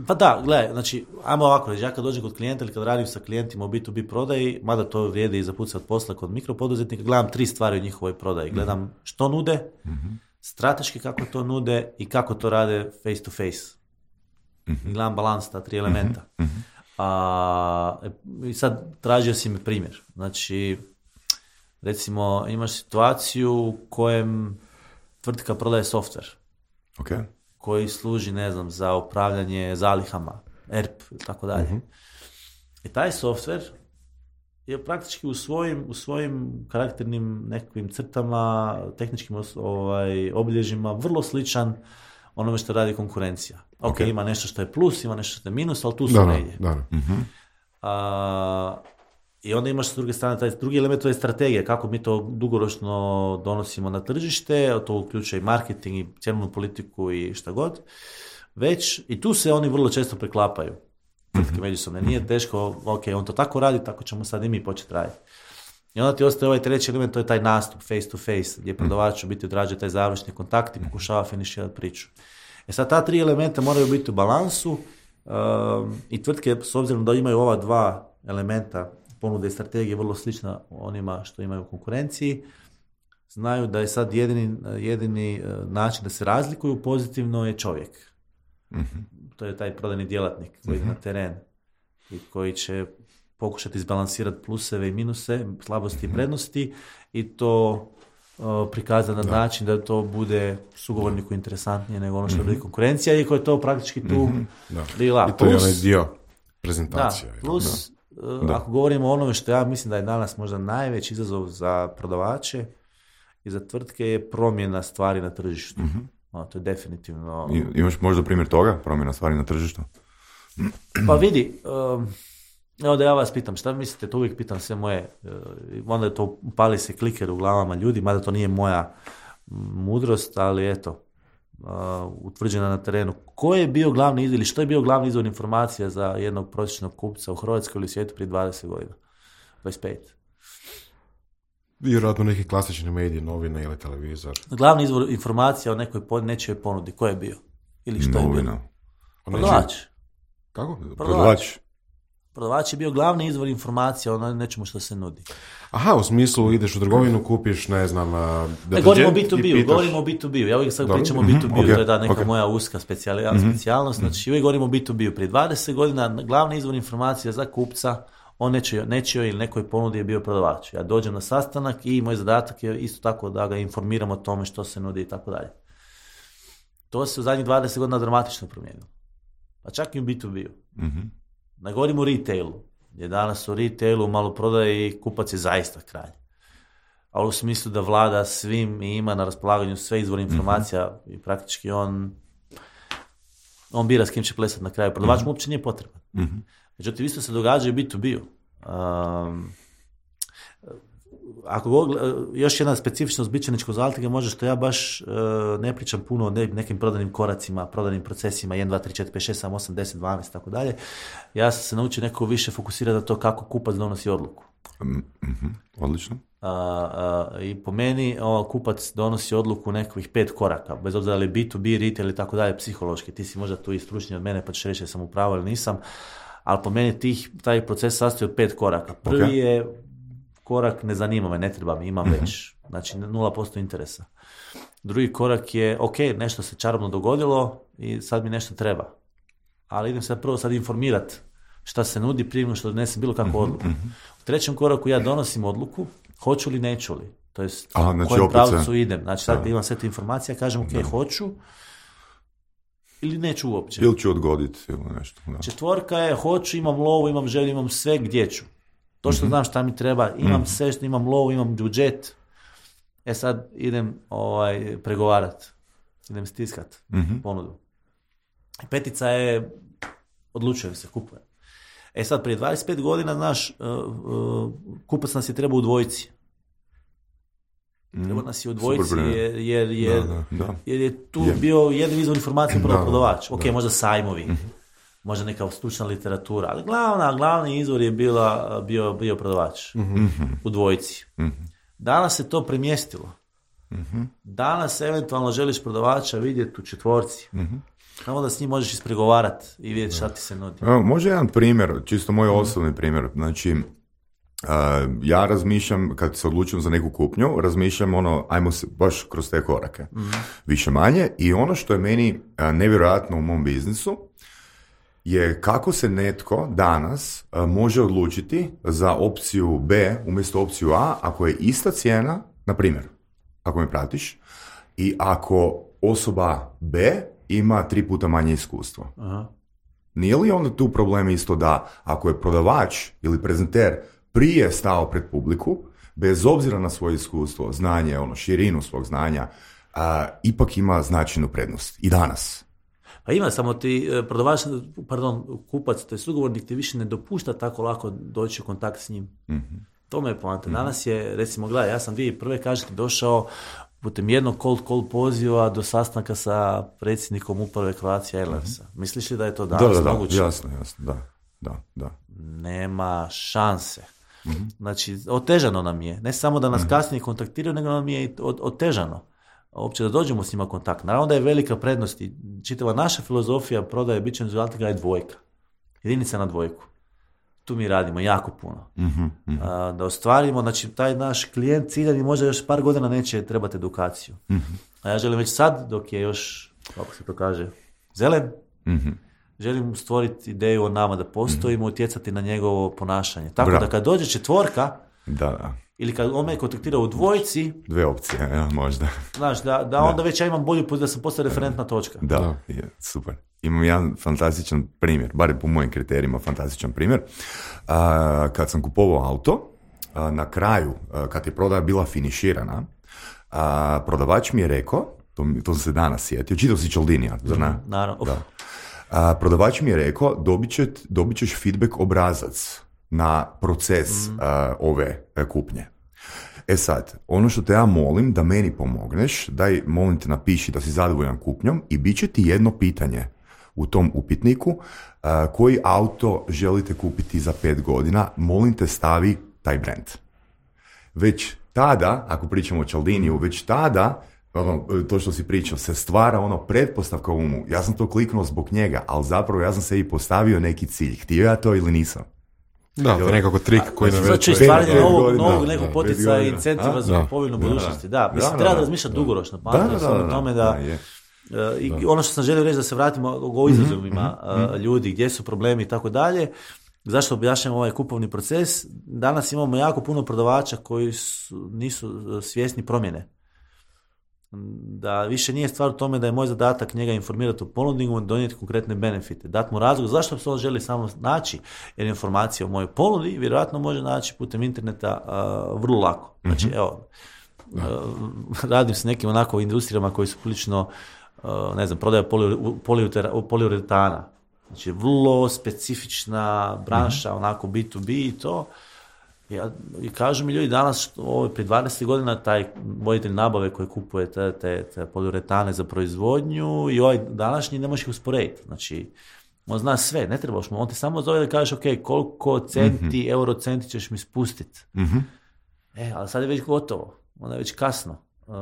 Pa da, gledaj, znači, ajmo ovako reći, ja kad dođem kod klijenta ili kad radim sa klijentima u bi tu bi prodaji, mada to vrijedi i za pucat posla kod mikropoduzetnika, gledam tri stvari u njihovoj prodaji. Gledam što nude, mm-hmm. strateški kako to nude i kako to rade face to face. Mm-hmm. Gledam balans, ta tri elementa. Mm-hmm. A, i sad tražio si mi primjer. Znači, recimo, imaš situaciju u kojem tvrtka prodaje software. Okay. Koji služi, ne znam, za upravljanje zalihama, E R P i tako dalje. Uh-huh. I taj software je praktički u svojim, u svojim karakternim nekakvim crtama, tehničkim ovaj, obilježjima vrlo sličan onome što radi konkurencija. Ok, okay. Ima nešto što je plus, ima nešto što je minus, ali tu su da, negdje. Da, da. Uh-huh. A, I onda imaš s druge strane, taj drugi element to je strategija, kako mi to dugoročno donosimo na tržište, to uključuje i marketing i cjenovnu politiku i šta god. Već, i tu se oni vrlo često preklapaju. Tvrtke međusobne. Nije teško, ok, on to tako radi, tako ćemo sad i mi početi raditi. I onda ti ostaje ovaj treći element, to je taj nastup, face to face, gdje prodavač u biti odrađuje taj završni kontakt i pokušava finiširati priču. E sad, ta tri elementa moraju biti u balansu um, i tvrtke, s obzirom da imaju ova dva elementa, ponude i strategije vrlo slična onima što imaju u konkurenciji, znaju da je sad jedini, jedini način da se razlikuju pozitivno je čovjek. Mm-hmm. To je taj prodajni djelatnik koji mm-hmm. ide na teren i koji će pokušati izbalansirati pluseve i minuse, slabosti mm-hmm. i prednosti i to uh, prikazati na da. način da to bude sugovorniku interesantnije nego ono što mm-hmm. je konkurencija, iako je to praktički tu mm-hmm. lila. I to je onaj dio prezentacije. Da, plus da. Da. Ako govorimo o onome što ja mislim da je danas možda najveći izazov za prodavače i za tvrtke je promjena stvari na tržištu. Mm-hmm. O, to je definitivno... I, imaš možda primjer toga, promjena stvari na tržištu? Pa vidi, um, evo da ja vas pitam, šta mislite, to uvijek pitam sve moje, uh, onda je to pali se kliker u glavama ljudi, mada to nije moja mudrost, ali eto, uh, utvrđena na terenu. Ko je bio glavni izvor ili što je bio glavni izvor informacija za jednog prosječnog kupca u Hrvatskoj ili svijetu prije dvadeset godina? dvadeset pet. Vjerojatno neki klasični mediji, novine ili televizor. Glavni izvor informacija o nekoj pod, nečijoj ponudi. Ko je bio? Ili što Novina. je bio? Prodavač. Kako? Prodavač. Prodavač je bio glavni izvor informacija o nečemu što se nudi. Aha, u smislu ideš u trgovinu, kupiš, ne znam, ne, govorimo o bi tu bi, govorimo o bi tu bi. Ja uvijek sad pričam o bi tu bi, okay. To je da neka okay. moja uska specijalnost. Mm-hmm. Znači, uvijek govorimo o bi tu bi. Prije dvadeset godina glavni izvor informacija za kupca on nečijoj, nečijoj ili nekoj ponudi je bio prodavač. Ja dođem na sastanak i moj zadatak je isto tako da ga informiram o tome što se nudi i tako dalje. To se u zadnjih dvadeset godina dramatično promijenilo. Pa čak i u bi tu bi. Mm-hmm. Ne govorimo o retailu, jer danas u retailu u maloprodaji kupac je zaista kralj. A u smislu da vlada svim i ima na raspolaganju sve izvore informacija mm-hmm. i praktički on on bira s kim će plesati na kraju. Prodavač mu uopće nije potreban. Mm-hmm. Međutim, isto se događa i bi tu bi. Um, ako go, još jedna specifičnost bićeničkog zaltige može što ja baš uh, ne pričam puno o ne, nekim prodanim koracima, prodanim procesima, jedan, dva, tri, četiri, pet, šest, sedam, osam, deset, dvanaest, tako dalje. Ja sam se naučio neko više fokusirati na to kako kupac donosi odluku. Mm-hmm. Odlično. Uh, uh, I po meni o, kupac donosi odluku nekakvih pet koraka, bez obzira li bi tu bi, retail i tako dalje, psihološki. Ti si možda tu i stručniji od mene, pa ćeš reći da sam u pravu ili nisam, ali po meni tih, taj proces sastoji od pet koraka. Prvi okay. je korak ne zanima me, ne treba mi, imam mm-hmm. već. Znači nula posto interesa. Drugi korak je, ok, nešto se čarobno dogodilo i sad mi nešto treba. Ali idem se prvo sad informirati šta se nudi prije što donesem bilo kakvu odluku. Mm-hmm. U trećem koraku ja donosim odluku, hoću li, neću li. To je u kojem pravcu idem. Znači sad da. Imam sve te informacije, kažem ok, da. Hoću ili neću uopće. Ili ću odgoditi ili nešto. Da. Četvorka je, hoću, imam lovu, imam želju, imam sve, gdje ću. To što mm-hmm. znam šta mi treba, imam mm-hmm. sve, što imam lovu, imam budžet. E sad idem ovaj, pregovarati. Idem stiskat mm-hmm. ponudu. Petica je, odlučujem se, kupujem. E sad, prije dvadeset pet godina, znaš, uh, uh, kupac nas je trebao u dvojici. Treba nas je u dvojici jer, jer, jer, da, da, da. jer je tu je. bio jedan izvor informacije upravo prodavač. Ok, da. Možda sajmovi, mm-hmm. možda neka stručna literatura, ali glavna, glavni izvor je bila, bio, bio prodavač mm-hmm. u dvojici. Mm-hmm. Danas se to premjestilo. Mm-hmm. Danas eventualno želiš prodavača vidjeti u četvorci. Mm-hmm. Samo da s njim možeš ispregovarati i vidjeti šta ti se nudi. Evo, može jedan primjer, čisto moj mm-hmm. osobni primjer. Znači, uh, ja razmišljam, kad se odlučim za neku kupnju, razmišljam ono, ajmo se baš kroz te korake. Mm-hmm. Više manje. I ono što je meni uh, nevjerojatno u mom biznisu je kako se netko danas uh, može odlučiti za opciju B umjesto opciju A ako je ista cijena, na primjer, ako me pratiš, i ako osoba B ima tri puta manje iskustvo. Aha. Nije li onda tu problem isto da ako je prodavač ili prezenter prije stao pred publiku, bez obzira na svoje iskustvo, znanje, ono, širinu svog znanja, a, ipak ima značajnu prednost. I danas. Pa ima, samo ti prodavač, pardon, kupac, to je sugovornik, ti više ne dopušta tako lako doći u kontakt s njim. Mm-hmm. To me je poanta. Danas je, recimo, gledaj, ja sam dvije prve, kažete, došao putem jednog cold call poziva do sastanka sa predsjednikom uprave Croatia Airlinesa. Mm-hmm. Misliš li da je to danas da, da, moguće? Da, jasno, jasno, da, da, da. Nema šanse. Mm-hmm. Znači, otežano nam je. Ne samo da nas mm-hmm. kasnije kontaktiraju, nego nam je i otežano. Uopće da dođemo s njima kontakt. Naravno da je velika prednost i čitava naša filozofija prodaje bićem zvaltiga je dvojka. Jedinica na dvojku. Tu mi radimo jako puno. Mm-hmm, mm-hmm. A, da ostvarimo, znači taj naš klijent ciljani možda još par godina neće trebati edukaciju. Mm-hmm. A ja želim već sad, dok je još, kako se to kaže, zelen, mm-hmm. želim stvoriti ideju o nama da postojimo, mm-hmm. utjecati na njegovo ponašanje. Tako Bra. da kad dođe četvorka, da, da. ili kad on me kontaktira u dvojici, dve opcije, ja, možda. Znaš, da, da onda da. već ja imam bolju poziciju da sam postao referentna točka. Da, je, super. Imam jedan fantastičan primjer, bar po mojim kriterijima fantastičan primjer. Uh, kad sam kupovao auto, uh, na kraju, uh, kad je prodaja bila finiširana, uh, prodavač mi je rekao, to, to sam se danas sjetio, čitao si Cialdinija, zar ne? Mm, naravno. Da. Uh, prodavač mi je rekao, dobit, će, dobit ćeš feedback obrazac na proces mm. uh, ove uh, kupnje. E sad, ono što te ja molim da meni pomogneš, daj molim te napiši da si zadovoljan kupnjom i bit će ti jedno pitanje u tom upitniku, uh, koji auto želite kupiti za pet godina, molim te stavi taj brand. Već tada, ako pričamo o Cialdiniju, već tada, ono, to što si pričao, se stvara ono pretpostavka u umu. Ja sam to kliknuo zbog njega, ali zapravo ja sam sebi postavio neki cilj. Htio ja to ili nisam? Da, to je nekako trik koji nam znači stvaranje novog, novog nekog potica i incentiva za kupovinu budućnosti. Da, mislim, da, treba da razmišljati dugoročno. Pamtim sam o tome da... Uh, I da. Ono što sam želio reći da se vratimo o izazovima mm-hmm. uh, ljudi, gdje su problemi i tako dalje. Zašto objašnjamo ovaj kupovni proces? Danas imamo jako puno prodavača koji su, nisu svjesni promjene. Da više nije stvar u tome da je moj zadatak njega informirati o ponudi i donijeti konkretne benefite. Dati mu razlog zašto se on želi samo naći, jer informacija o mojoj ponudi vjerojatno može naći putem interneta uh, vrlo lako. Znači, mm-hmm. evo, uh, radim s nekim onako industrijama koji su prilično Uh, ne znam, prodaja poliuretana. Znači, vrlo specifična branša, mm-hmm. onako B to B i to. Ja, i kažu mi ljudi danas, ovo, prije dvadeset godina, taj voditelj nabave koji kupuje te, te, te poliuretane za proizvodnju i ovaj današnji ne možeš ih usporediti. Znači, on zna sve, ne trebaš mu. On ti samo zove da kažeš, ok, koliko centi, mm-hmm. euro centi ćeš mi spustiti. Mm-hmm. E, ali sad je već gotovo. Onda je već kasno. Uh,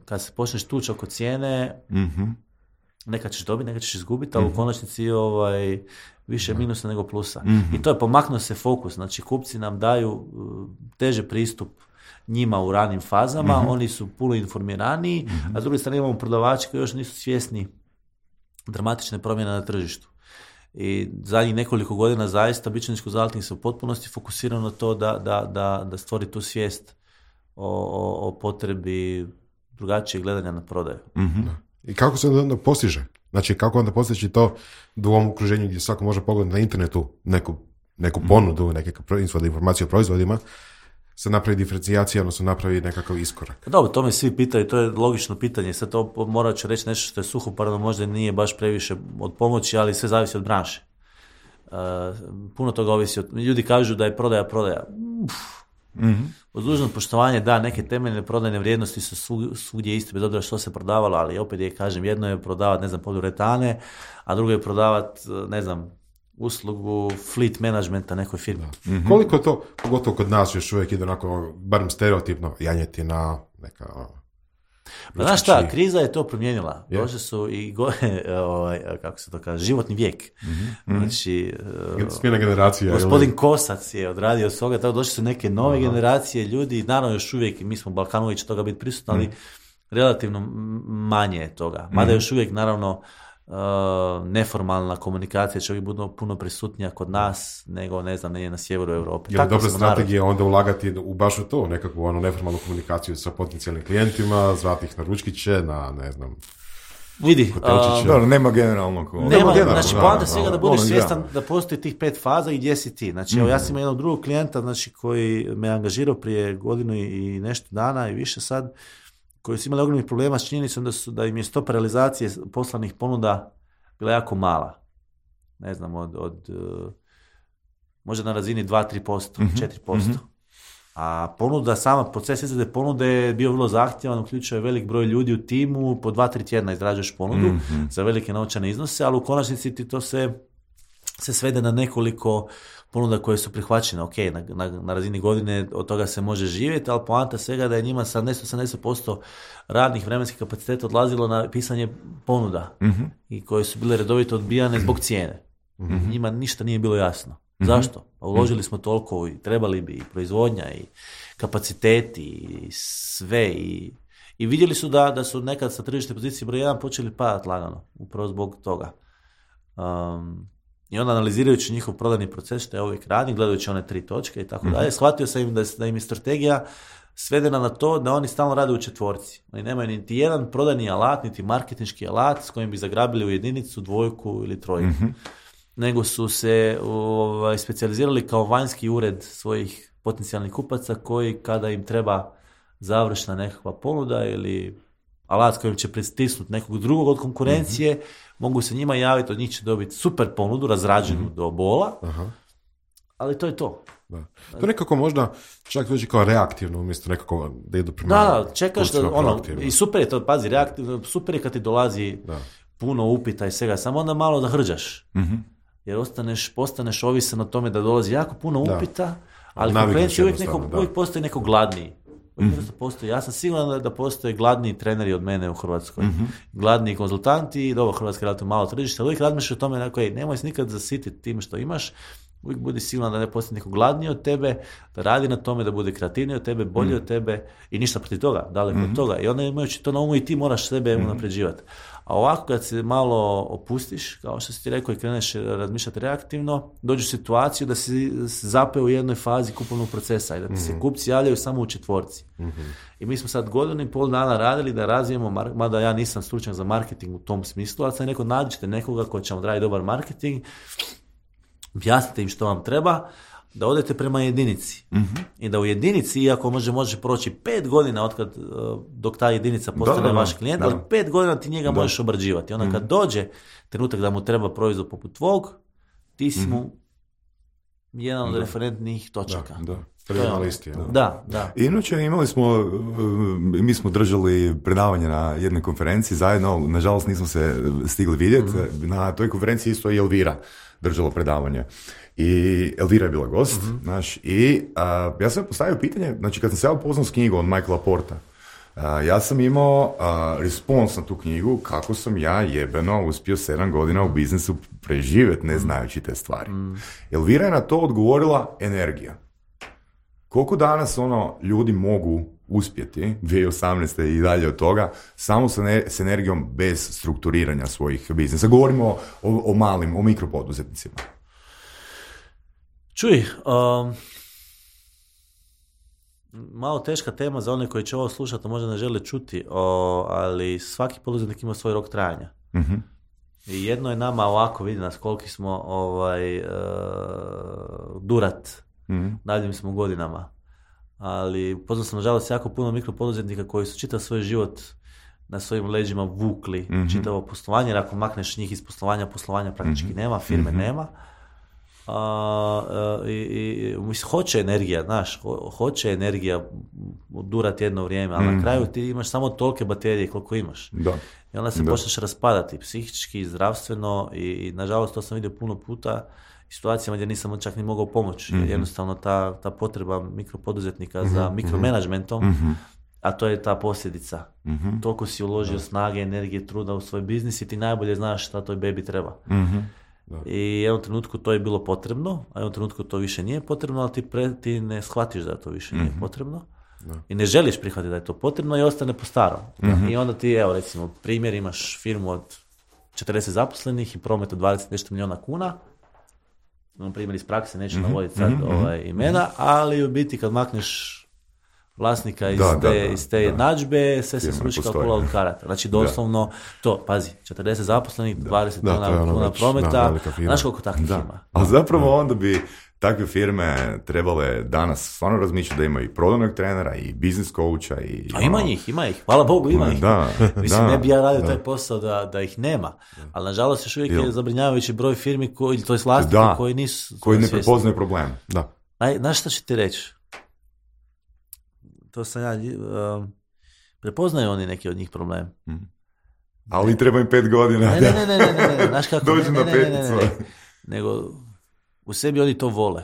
kad se počneš tući oko cijene, mm-hmm. neka ćeš dobiti, neka ćeš izgubiti, ali mm-hmm. u konačnici ovaj, više minusa nego plusa. Mm-hmm. I to je pomaknuo se fokus. Znači, kupci nam daju uh, teže pristup njima u ranim fazama, mm-hmm. oni su puno informiraniji, mm-hmm. a s druge strane imamo prodavači koji još nisu svjesni dramatične promjene na tržištu. I zadnjih nekoliko godina zaista Bičaničko zaltnik se u potpunosti fokusirano na to da, da, da, da stvori tu svijest O, o, o potrebi drugačijeg gledanja na prodaju. Mm-hmm. I kako se onda postiže? Znači, kako onda postići to u ovom okruženju gdje svako može pogledati na internetu neku, neku ponudu, mm-hmm. neke informacije o proizvodima, se napravi diferencijacija, odnosno napravi nekakav iskorak? Dobro, to me svi pitaju, to je logično pitanje. Sad to morat ću reći nešto što je suhoparno, možda nije baš previše od pomoći, ali sve zavisi od branše. Uh, puno toga ovisi od... Ljudi kažu da je prodaja prodaja. Uf. Mm-hmm. Uz dužno poštovanje, da, neke temeljne prodajne vrijednosti su svugdje iste, bez obzira što se prodavalo, ali opet je, kažem, jedno je prodavati, ne znam, poliuretane, a drugo je prodavati, ne znam, uslugu fleet managementa nekoj firmi. Mm-hmm. Koliko to, pogotovo kod nas još uvijek ide onako, barem stereotipno, janjetina, neka... Pa znaš šta, kriza je to promijenila. Yeah. Došli su i go, ovaj, kako se to kaže, životni vijek. Mm-hmm. Znači, smjena generacija. Gospodin ili... Kosac je odradio svoga, tako došli su neke nove Aha. generacije ljudi, naravno još uvijek, mi smo Balkanovi će toga biti prisutni, ali mm. relativno manje je toga. Mada mm. još uvijek, naravno, uh, neformalna komunikacija će uvijek biti puno prisutnija kod nas nego, ne znam, nije na sjeveru Europe. Je li dobra strategija onda ulagati u baš u to, nekakvu ono neformalnu komunikaciju sa potencijalnim klijentima, zvati ih na ručkiće, na, ne znam, vidi, uh, dobro, nema generalnog. Nema, nema generalno, znači poanta svega da budeš svjestan da postoji tih pet faza i gdje si ti. Znači, mm-hmm. evo, ja sam imao jednog drugog klijenta, znači, koji me angažirao prije godinu i nešto dana i više sad, koji su imali ogromnih problema s činjenicom da, su, da im je stopa realizacije poslanih ponuda bila jako mala. Ne znam, od, od možda na razini dva do tri posto, mm-hmm. četiri posto. Mm-hmm. A ponuda, sama proces izrade ponude je bio vrlo zahtjevan, uključuje velik broj ljudi u timu, po dva do tri tjedna izrađuješ ponudu mm-hmm. za velike novčane iznose, ali u konačnici ti to se, se svede na nekoliko ponuda koje su prihvaćene. Ok, na, na, na razini godine od toga se može živjeti, ali poanta svega da je njima sedamdeset do osamdeset posto radnih vremenskih kapaciteta odlazilo na pisanje ponuda mm-hmm. i koje su bile redovito odbijane zbog cijene. Mm-hmm. Njima ništa nije bilo jasno. Mm-hmm. Zašto? Pa uložili smo toliko i trebali bi i proizvodnja i kapaciteti i sve i, i vidjeli su da, da su nekad sa tržišne pozicije broj jedan počeli padati lagano, upravo zbog toga. Um, I onda analizirajući njihov prodajni proces, što ja uvijek radim, gledajući one tri točke i tako mm-hmm. dalje, shvatio sam im da, da im je strategija svedena na to da oni stalno rade u četvorci. Oni nemaju niti jedan prodajni alat, niti marketinški alat s kojim bi zagrabili u jedinicu, dvojku ili trojku. Mm-hmm. Nego su se ovaj, specijalizirali kao vanjski ured svojih potencijalnih kupaca koji kada im treba završna nekakva ponuda ili alat s kojim će pristisnuti nekog drugog od konkurencije, mm-hmm. mogu se njima javiti, od njih će dobiti super ponudu, razrađenu mm-hmm. do bola, aha. ali to je to. Da. To nekako možda čak dođe kao reaktivno, umjesto nekako da idu prema... Da, čekaš da, ono, i super je to, pazi, reaktivno, super je kad ti dolazi da. puno upita i svega, samo onda malo da hrđaš. Mm-hmm. Jer ostaneš, postaneš ovisan o tome da dolazi jako puno upita, da. ali konkurencija uvijek, neko, uvijek postoji neko gladniji. Mm-hmm. Postoji. Ja sam siguran da postoje gladniji treneri od mene u Hrvatskoj. Mm-hmm. Gladniji konzultanti, dobro, Hrvatska je relativno malo tržište, ali uvijek razmišljaš o tome, dakle, nemoj se nikad zasititi tim što imaš, uvijek budi siguran da ne postoji neko gladniji od tebe, da radi na tome, da bude kreativniji od tebe, bolji mm-hmm. od tebe i ništa protiv toga, daleko mm-hmm. od toga. I onda imajući to na umu i ti moraš sebe mm-hmm. unapređivati. A ovako kad se malo opustiš, kao što si ti rekao, i kreneš razmišljati reaktivno, dođeš u situaciju da si zapeo u jednoj fazi kupovnog procesa i da ti se kupci javljaju samo u četvorci. Mm-hmm. I mi smo sad godinu i pol dana radili da razvijemo, mada ja nisam stručnjak za marketing u tom smislu, ali sam rekao, nađite nekoga ko će vam raditi dobar marketing, objasnite im što vam treba, da odete prema jedinici. Mm-hmm. I da u jedinici, iako može, može proći pet godina otkad, dok ta jedinica postane da, da, vaš klijent, da. ali pet godina ti njega da. možeš obrađivati. Onda mm-hmm. kad dođe trenutak da mu treba proizvod poput tvog, ti si mu mm-hmm. jedan od da. referentnih točaka. Da, da. Prvi na listi. Da. da, da. Inače, imali smo, mi smo držali predavanje na jednoj konferenciji zajedno, nažalost nismo se stigli vidjeti. Mm-hmm. Na toj konferenciji isto je Elvira držalo predavanje. I Elvira je bila gost, mm-hmm. znaš, i a, ja sam postavio pitanje, znači kad sam se ja upoznao s knjigom od Michaela Porta, a, ja sam imao a, respons na tu knjigu kako sam ja jebeno uspio sedam godina u biznisu preživjeti ne znajući te stvari. Mm. Elvira je na to odgovorila energija. Koliko danas ono ljudi mogu uspjeti, dvije tisuće osamnaeste i dalje od toga, samo sa, ne, s energijom bez strukturiranja svojih biznisa. Govorimo o, o, o malim, o mikropoduzetnicima. Čuj, um, malo teška tema za one koji će ovo slušati, možda ne žele čuti, o, ali svaki poduzetnik ima svoj rok trajanja. Mm-hmm. I jedno je nama ovako, vidi nas koliki smo ovaj, uh, durat, mm-hmm. dalje smo godinama, ali poznao sam nažalost jako puno mikropoduzetnika koji su čitav svoj život na svojim leđima vukli, mm-hmm. čitavo poslovanje, jer ako makneš njih iz poslovanja, poslovanja praktički mm-hmm. nema, firme mm-hmm. nema. Uh, uh, i, i mislim, hoće energija, znaš, ho, hoće energija durati jedno vrijeme, ali mm. na kraju ti imaš samo tolike baterije koliko imaš. Da. I onda se da. počneš raspadati psihički, zdravstveno i, i nažalost to sam vidio puno puta i situacijama gdje nisam čak ni mogao pomoći. Mm-hmm. Jednostavno ta, ta potreba mikropoduzetnika mm-hmm. za mikromanagementom, mm-hmm. a to je ta posljedica. Mm-hmm. Toliko si uložio da. snage, energije, truda u svoj biznis i ti najbolje znaš šta toj bebi treba. Mm-hmm. Da. I u jednom trenutku to je bilo potrebno, a u jednom trenutku to više nije potrebno, ali ti, pre, ti ne shvatiš da to više mm-hmm. nije potrebno da. i ne želiš prihvatiti da je to potrebno i ostane po starom. Mm-hmm. I onda ti, evo recimo, primjer, imaš firmu od četrdeset zaposlenih i promet od dvadeset nešto milijuna kuna, na primjer iz prakse, neću mm-hmm. navoditi sad mm-hmm. ovaj, imena, ali u biti kad makneš vlasnika iz da, te, da, iz te jednadžbe, sve se sruči kao kula od karata. Znači doslovno da. to, pazi, četrdeset zaposlenih, dvadeset milijuna kuna prometa, znaš koliko takvih ima. Ali zapravo da. onda bi takve firme trebale danas stvarno razmišljati da imaju i prodajnog trenera i biznis coacha. I, A ima ono... njih, ima ih, hvala Bogu ima ih. Da, Mislim, da, ne bi ja radio da. taj posao da, da ih nema, ali nažalost još uvijek je zabrinjavajući broj firmi, koji, to je vlasnika koji nisu koji ne prepoznaju problem. Da. Aj, znaš šta ću ti reći? To sam ja, uh, prepoznaju oni neki od njih problem. Hmm. Ali treba im pet godina. Ne, ne, ne, ne, ne, ne, ne. Znaš kako? Dođu ne, na peticu. Ne, ne, ne, ne. Nego, u sebi oni to vole.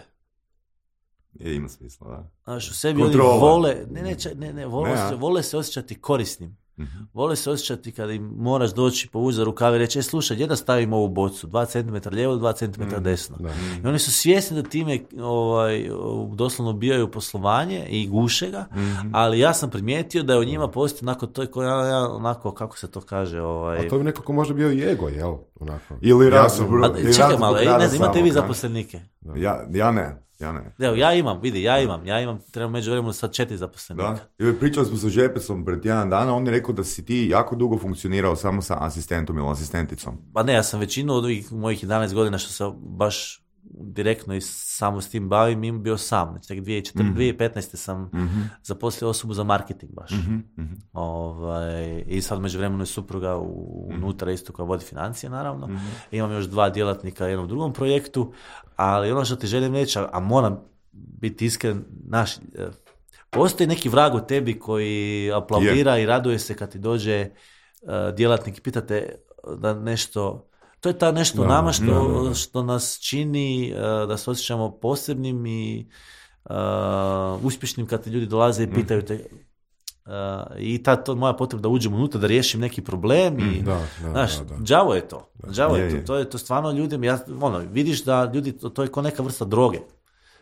Je, ima smisla, da. Znaš, u sebi Kontrola. oni vole, ne, ne, ne, ne, vole, ne, vole se osjećati korisnim. Mm-hmm. Vole se osjećati kada im moraš doći povući za rukave i reći, e, slušaj, gdje da stavim ovu bocu? Dva centimetra lijevo, dva centimetra mm, desno. Da. I oni su svjesni da time ovaj, doslovno ubijaju poslovanje i guše ga, mm-hmm. ali ja sam primijetio da je u njima postoji onako, to je ko, ja, onako, kako se to kaže? Ovaj... A to bi nekako možda bio i ego, jel? Onako. Ili raz. Ja čekaj malo, ne znam, imate vi zaposlenike? Ja, ja ne. Ja ne. Evo, ja imam, vidi, ja imam, ja imam, trebam među vremenu sad četiri zaposlenika. Da, i pričali smo sa Žepesom pred jedan dana, on je rekao da si ti jako dugo funkcionirao samo sa asistentom ili asistenticom. Pa ne, ja sam većinu od ovih mojih jedanaest godina što sam baš direktno i samo s tim bavim, im bio sam. Znači, tek dvije tisuće petnaeste sam mm-hmm. zaposlio osobu za marketing baš. Mm-hmm. Ovaj, i sad među vremenu je supruga u, unutra isto koja vodi financije, naravno. Mm-hmm. Imam još dva djelatnika u jednom drugom projektu, ali ono što ti želim reći, a moram biti iskren, naš, postoji neki vrag u tebi koji aplaudira yeah. i raduje se kad ti dođe uh, djelatnik i pitate da nešto... To je ta nešto da, nama što, da, da, da. što nas čini uh, da se osjećamo posebnim i uh, uspješnim kad ti ljudi dolaze i pitaju te uh, i ta to moja potreba da uđem unutra, da riješim neki problem i da, da, znaš, da, da. đavo je to. Đavo je, je, to. je. To je to stvarno ljudima, ja, ono, vidiš da ljudi, to, to je kao neka vrsta droge.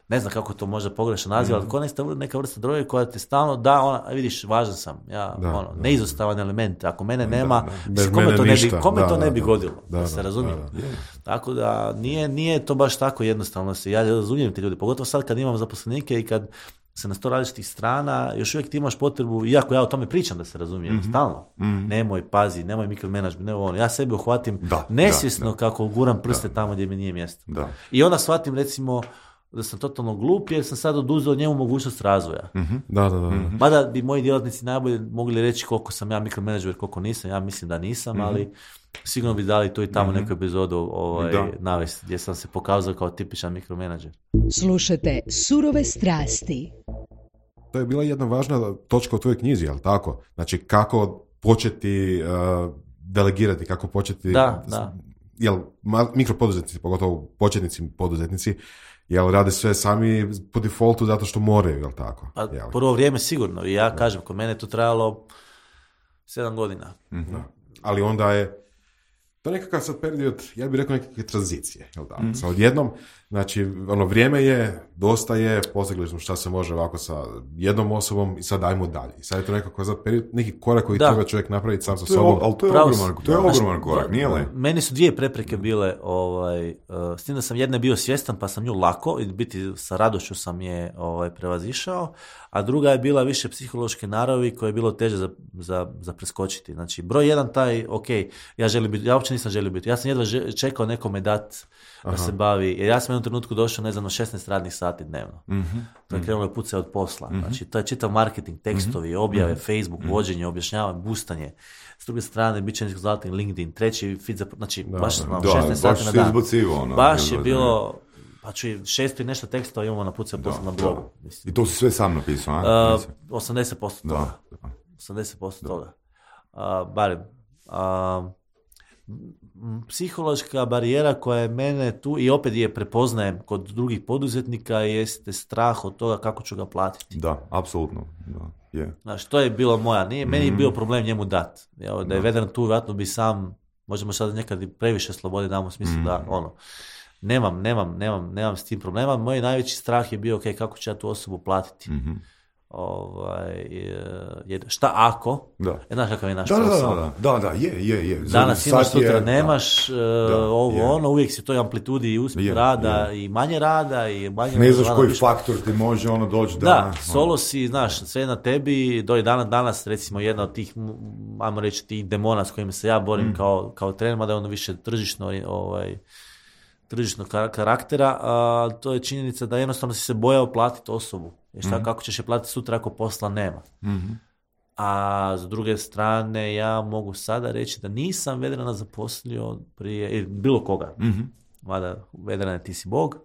Ne znam kako to možda pogrešno naziva, ali kao neka vrsta droge koja ti stalno da, ona, vidiš, važan sam, ja, da, ono, da, neizostavan element, ako mene nema, da, da. kome mene to ne bi, ništa. kome da, to ne bi da, godilo, da, da, da se razumije. Da, da. Tako da nije, nije to baš tako jednostavno se, ja razumijem ti ljudi, pogotovo sad kad imam zaposlenike i kad se na sto različitih strana, još uvijek ti imaš potrebu, iako ja o tome pričam da se razumijem, mm-hmm. stalno, mm-hmm. nemoj, pazi, nemoj mikromenadžment, nemoj ono, ja sebi uhvatim da, nesvjesno da, da. kako guram prste da. tamo gdje mi nije mjesto. Da. I onda shvatim recimo da sam totalno glup jer sam sad oduzeo njemu mogućnost razvoja. Mm-hmm. Da, da, da. Mm-hmm. Mada bi moji djelatnici najbolje mogli reći koliko sam ja mikromenadžer, koliko nisam, ja mislim da nisam, mm-hmm. ali sigurno bi dali tu i tamo mm-hmm. neku epizodu ovaj, navesti gdje sam se pokazao kao tipičan mikromenadžer. Slušajte Surove strasti. To je bila jedna važna točka u tvojoj knjizi, jel tako? Znači, kako početi uh, delegirati, kako početi... Da, da. Jel, mikropoduzetnici, pogotovo početnici poduzetnici, jel rade sve sami po defaultu zato što moraju, jel tako? Pa, prvo vrijeme sigurno. I ja da. kažem, kod mene je to trajalo sedam godina. Mm-hmm. Ali onda je to nekakav sad period, ja bih rekao nekakve tranzicije, jel tako? Mm-hmm. Sa odjednom, znači, ono, vrijeme je, dosta je, postigli smo šta se može ovako sa jednom osobom i sad dajmo dalje. I sad je to nekako za period, neki korak koji da. treba čovjek napraviti sam sa sobom. Ali to je Pravo, ogroman, to je ogroman korak, nije li? Meni su dvije prepreke bile, ovaj, uh, s tim da sam jedne bio svjestan pa sam nju lako, i biti sa radošću sam je ovaj, prevazišao, a druga je bila više psihološke naravi koje je bilo teže za, za, za preskočiti. Znači, broj jedan taj, ok, ja želim biti, ja uopće nisam želio biti, ja sam jedva čekao nekome dat da Aha. se bavi, jer ja sam u jednom trenutku došao, ne znam, na šesnaest radnih sati dnevno. Mm-hmm. To je krenulo pucati od posla. Mm-hmm. Znači, to je čitav marketing, tekstovi, mm-hmm. objave, mm-hmm. Facebook, mm-hmm. vođenje, objašnjavanje, boostanje. S druge strane, bit će zlatni LinkedIn, treći feed za... Znači, da, baš da, da, šesnaest sati na dan. Ono, baš je bilo... Pa ću šesto i nešto tekstova imamo na pucati posla na blogu. I to si sve sam napisao, a? Uh, osamdeset posto toga. Da. osamdeset posto da. toga. Uh, barem. Uh, psihološka barijera koja je mene tu i opet je prepoznajem kod drugih poduzetnika jeste strah od toga kako ću ga platiti. Da, apsolutno. Da, yeah. Znaš, to je bilo moja. Nije, mm. Meni je bio problem njemu dat. Ja, da je Vedran tu, vjerojatno bi sam, možemo sad nekad i previše slobode damo u smislu mm. da ono, nemam, nemam, nemam, nemam s tim problema. Moj najveći strah je bio, ok, kako ću ja tu osobu platiti. Mm-hmm. Ovaj, je, šta ako? Da. Znaš kakav je naš da, posao? Da, da, da, je, je, je. Danas imaš, sutra je, nemaš, da, ovo, je. ono, uvijek si toj amplitudi i uspjeh rada je. i manje rada i manje... Ne znaš koji više... faktor ti može ono doći da... Da, solo si, znaš, sve na tebi, do danas, danas recimo jedna od tih, ajmo reći, tih demona s kojim se ja borim mm. kao, kao trener, mada je ono više tržišno, ovaj, tržišnog karaktera, a to je činjenica da jednostavno si se bojao platiti osobu. Jer šta, mm-hmm. kako ćeš je platiti sutra ako posla nema. Mm-hmm. A s druge strane, ja mogu sada reći da nisam Vedrana zaposlio prije, bilo koga. Mm-hmm. Mada Vedrana ti si Bog.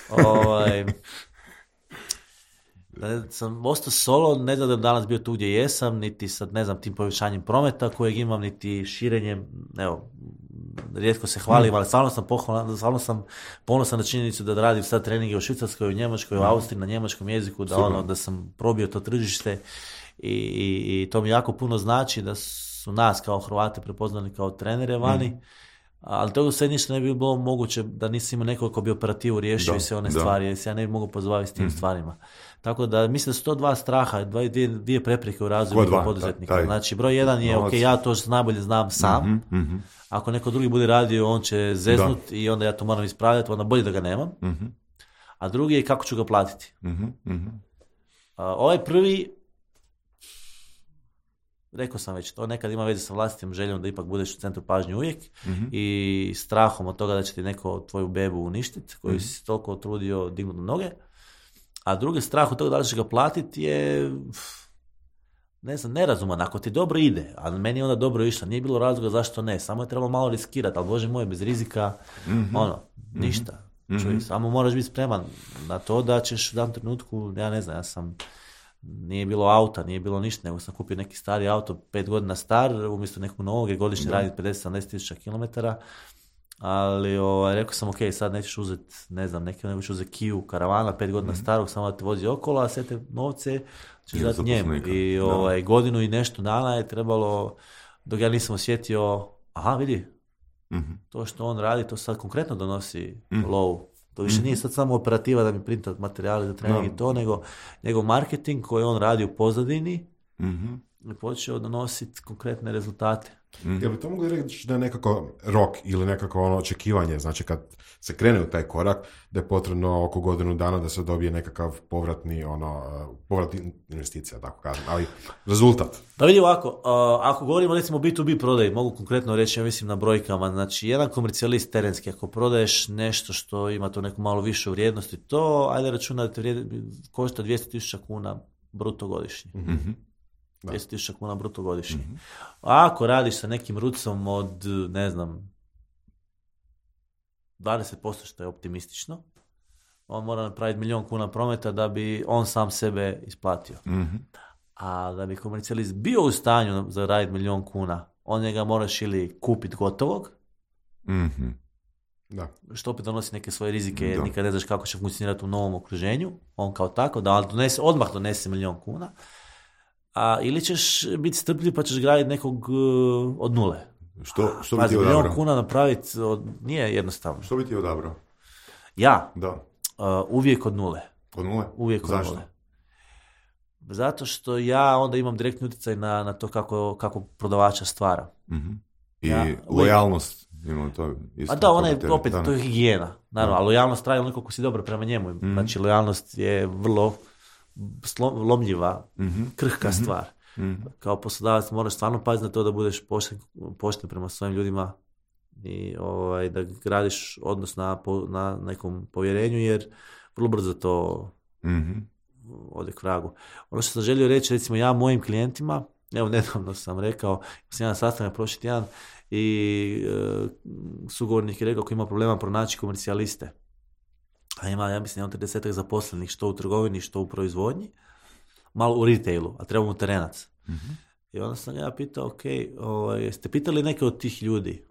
ovaj, da sam ostao solo, ne znam da danas bio tu gdje jesam, niti sad ne znam tim povećanjem prometa kojeg imam, niti širenjem, evo, rijetko se hvalim, ali stvarno sam pohvalan, stvarno sam ponosan na činjenicu da radim sad treninge u Švicarskoj, u Njemačkoj, u Austriji, na njemačkom jeziku, da, ono, da sam probio to tržište i, i, i to mi jako puno znači da su nas kao Hrvate prepoznali kao trenere vani, mm. ali toga sve ništa ne bi bilo moguće da nisam imao nekog ko bi operativu riješio da, i sve one da. stvari, jer se ja ne bi mogao pozabaviti s tim mm. stvarima. Tako da mislim da su to dva straha, dva, dvije, dvije prepreke u razvoju poduzetnika. Taj. Znači broj jedan je, ok, ja to najbolje znam sam, mm-hmm, mm-hmm. ako neko drugi bude radio, on će zeznut da. i onda ja to moram ispravljati, onda bolje da ga nemam. Mm-hmm. A drugi je kako ću ga platiti. Mm-hmm. A, ovaj prvi, rekao sam već, to nekad ima veze sa vlastitim željom da ipak budeš u centru pažnje uvijek mm-hmm. i strahom od toga da će ti neko tvoju bebu uništiti, koju mm-hmm. si toliko trudio dignuti na noge. A drugi strah od toga da li ćeš ga platiti je, ne znam, nerazuman. Ako ti dobro ide, a meni je onda dobro išla, nije bilo razloga zašto ne, samo je trebalo malo riskirati, ali Bože moj, bez rizika, mm-hmm. ono, ništa. Mm-hmm. Čuj, samo moraš biti spreman na to da ćeš u danom trenutku, ja ne znam, ja sam, nije bilo auta, nije bilo ništa, nego sam kupio neki stari auto, pet godina star, umjesto nekog novog, je godišnje radi pedeset do sedamdeset tisuća kilometara, ali ovaj, rekao sam, ok, sad nećeš uzeti, ne znam, neki nego ćeš uzeti Kiju karavana, pet godina mm-hmm. starog, samo da te vozi okolo, a sve te novce ćeš dati njemu. I ovaj, godinu i nešto dana je trebalo, dok ja nisam osjetio, aha, vidi, mm-hmm. to što on radi, to sad konkretno donosi mm-hmm. lovu. To više mm-hmm. nije sad samo operativa da mi printa materijali za trening no. i to, nego, nego marketing koji on radi u pozadini mm-hmm. i počeo donositi konkretne rezultate. Mm-hmm. Jel bi to mogli reći da je nekako rok ili nekako ono očekivanje, znači kad se krene u taj korak, da je potrebno oko godinu dana da se dobije nekakav povratni ono, povratni investicija, tako kažem, ali rezultat. Da vidi ovako, uh, ako govorimo recimo bi to bi prodaji, mogu konkretno reći, ja mislim na brojkama, znači jedan komercijalist terenski, ako prodaješ nešto što ima to neku malo višu vrijednost i to, ajde računa da te vrijedi, košta dvjesto tisuća kuna bruto godišnje. Mm-hmm. dvjesto tisuća kuna bruto godišnje. Mm-hmm. A ako radiš sa nekim rucom od, ne znam, dvadeset posto što je optimistično, on mora napraviti milijon kuna prometa da bi on sam sebe isplatio. Mm-hmm. A da bi komercijalist bio u stanju zaraditi milijon kuna, on njega moraš ili kupiti gotovog, mm-hmm. da. što opet donosi neke svoje rizike, jer nikad ne znaš kako će funkcionirati u novom okruženju, on kao tako, da donese, odmah donese milijon kuna, a ili ćeš biti strpljiv pa ćeš graditi nekog uh, od nule. Što, što bi ti odabrao? Milijon kuna napraviti od, nije jednostavno. Što bi ti odabrao? Ja? Da. Uh, uvijek od nule. Od nule? Uvijek Zašto? od nule. Zato što ja onda imam direktni utjecaj na, na to kako, kako prodavača stvara. Mm-hmm. I ja, lojalnost. Imamo to isto. A da, ona je opet, to je higijena. Naravno, a lojalnost traje onoliko ko si dobro prema njemu. Mm-hmm. Znači, lojalnost je vrlo lomljiva, mm-hmm. krhka mm-hmm. stvar. Mm-hmm. Kao poslodavac moraš stvarno paziti na to da budeš pošten, pošten prema svojim ljudima i ovaj, da gradiš odnos na, na nekom povjerenju, jer vrlo brzo to mm-hmm. ode k vragu. Ono što sam želio reći, recimo ja mojim klijentima, evo nedavno sam rekao, sam jedan sastanak prošli tjedan i e, sugovornik je rekao ko ima problema pronaći komercijaliste. A ima, ja mislim, tridesetak zaposlenih što u trgovini, što u proizvodnji, malo u retailu, a treba mu terenac. Mm-hmm. I onda sam ja pitao, ok, o, jeste pitali neke od tih ljudi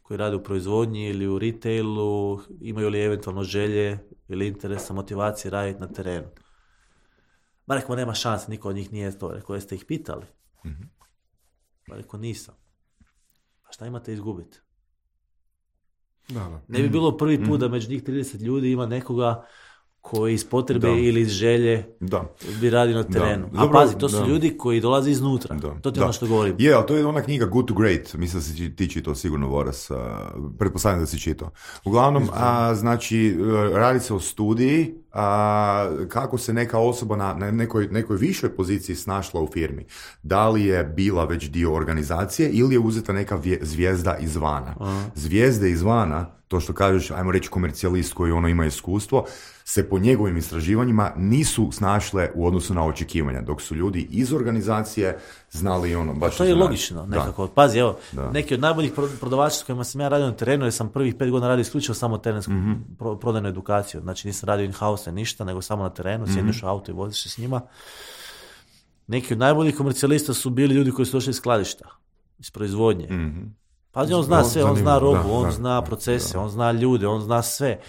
koji rade u proizvodnji ili u retailu, imaju li eventualno želje ili interesa, motivacije raditi na terenu? Ma rekao, nema šanse, niko od njih nije to. Rekao, jeste ih pitali? Mm-hmm. Ma rekao, nisam. A šta imate izgubiti? Da, da. Ne bi bilo prvi put mm. da među njih trideset ljudi ima nekoga koji iz potrebe da. ili iz želje da. bi radio na terenu. Da. A Dobro, pazi, to su da. ljudi koji dolaze iznutra. Da. To ti je ono što govorim. Je, ali to je ona knjiga Good to Great. Mislim da si ti čitao sigurno, Voras. Uh, pretpostavljam da si čitao. Uglavnom, a, znači, radi se o studiji a, kako se neka osoba na, na nekoj, nekoj višoj poziciji snašla u firmi. Da li je bila već dio organizacije ili je uzeta neka vje, zvijezda izvana. Aha. Zvijezde izvana, to što kažeš, ajmo reći komercijalist koji ono ima iskustvo, se po njegovim istraživanjima nisu snašle u odnosu na očekivanja, dok su ljudi iz organizacije znali ono baš... To je znali. Logično nekako. Da. Pazi, evo, da. Neki od najboljih prodavača s kojima sam ja radio na terenu, jer sam prvih pet godina radio isključivo samo terensku mm-hmm. prodajnu edukaciju. Znači nisam radio in-house ništa, nego samo na terenu, mm-hmm. sjedneš u auto i voziš se s njima. Neki od najboljih komercijalista su bili ljudi koji su došli iz skladišta, iz proizvodnje. Mm-hmm. Pazi, on zna sve, on zna robu, da, on da, zna procese, da. on zna ljude, on zna sve.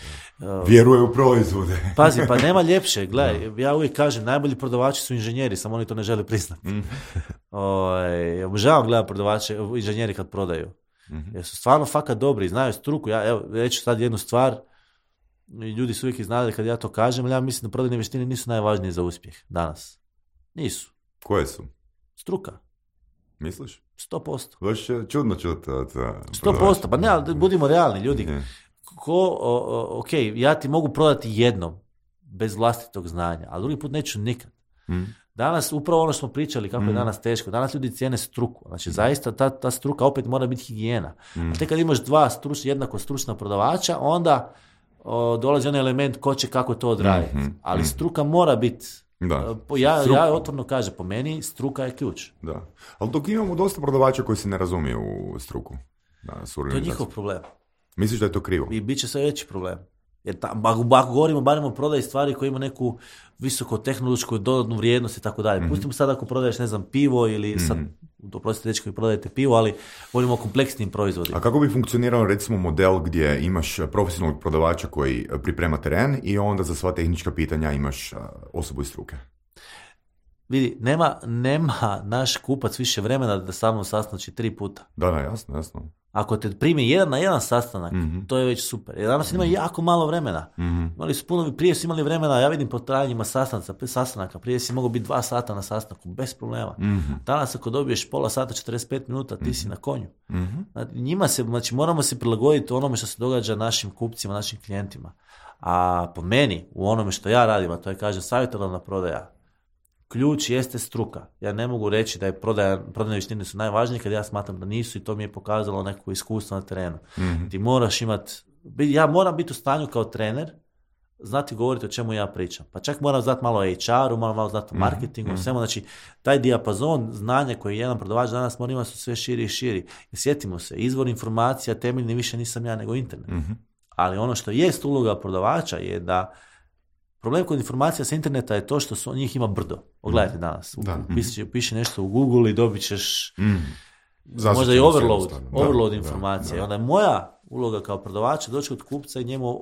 Vjeruje u proizvode. Pazi, pa nema ljepše, gledaj, ja uvijek kažem, najbolji prodavači su inženjeri, samo oni to ne žele priznati. Mm. Oj, obožavam gledati prodavače, inženjeri kad prodaju. Mm-hmm. Jer su stvarno fakat dobri, znaju struku. Ja evo, reću sad jednu stvar, ljudi su uvijek iznadali kad ja to kažem, ali ja mislim da prodajne vještine nisu najvažnije za uspjeh danas. Nisu. Koje su? Struka. Misliš? Sto posto. Baš čudno čuti. Sto posto, pa ne, ali budimo realni, ljudi. Ne. Ko, o, o, ok, ja ti mogu prodati jednom, bez vlastitog znanja, a drugi put neću nikad. Mm. Danas, upravo ono što smo pričali, kako mm. je danas teško, danas ljudi cijene struku. Znači, zaista ta, ta struka opet mora biti higijena. Mm. A te kad imaš dva struč, jednako stručna prodavača, onda o, dolazi onaj element ko će kako to odraditi. Mm-hmm. Ali struka mora biti, da. Ja, Struk... ja otvorno kažem, po meni struka je ključ. Da. Ali dok imamo dosta prodavača koji se ne razumiju u struku. Da, to je njihov problem. Misliš da je to krivo? I bit će sve veći problem. Jer ta, ako, ako govorimo barem o prodaji stvari koje ima neku visoko tehnološku dodatnu vrijednost i tako dalje. Mm-hmm. Pustimo sad ako prodaješ, ne znam, pivo ili mm-hmm. sad, oprostite dečki koji prodajete pivo, ali govorimo o kompleksnim proizvodima. A kako bi funkcionirao recimo model gdje imaš profesionalnog prodavača koji priprema teren i onda za sva tehnička pitanja imaš osobu iz struke? Vidi, nema, nema naš kupac više vremena da sa mnom sastanči tri puta. Da, da, jasno, jasno. Ako te primi jedan na jedan sastanak, mm-hmm. to je već super. Jer danas ima mm-hmm. jako malo vremena. Mm-hmm. Imali su puno, prije su imali vremena, ja vidim po trajanjima sastanaka, sastanaka, prije si mogao biti dva sata na sastanku, bez problema. Mm-hmm. Danas ako dobiješ pola sata, četrdeset pet minuta, ti mm-hmm. si na konju. Mm-hmm. Znači, njima se, znači moramo se prilagoditi onome što se događa našim kupcima, našim klijentima. A po meni, u onome što ja radim, a to je, kaže, savjetodavna prodaja, ključ jeste struka. Ja ne mogu reći da je prodaja, prodajne vještine su najvažnije kad ja smatram da nisu i to mi je pokazalo neko iskustvo na terenu. Mm-hmm. Ti moraš imati, ja moram biti u stanju kao trener znati govoriti o čemu ja pričam. Pa čak moram znati malo o H R-u, moram malo znati o marketingu, mm-hmm. svemu. Znači, taj dijapazon znanja koji jedan prodavač danas mora imati su sve širi i širi. I sjetimo se, izvor informacija temeljni više nisam ja nego internet. Mm-hmm. Ali ono što jest uloga prodavača je da problem kod informacija sa interneta je to što su, njih ima brdo. Pogledajte danas. Da. Piši, piši nešto u Google i dobit ćeš mm. možda i overload, overload da, informacija. Da, da. I onda je moja uloga kao prodavača doći kod kupca i njemu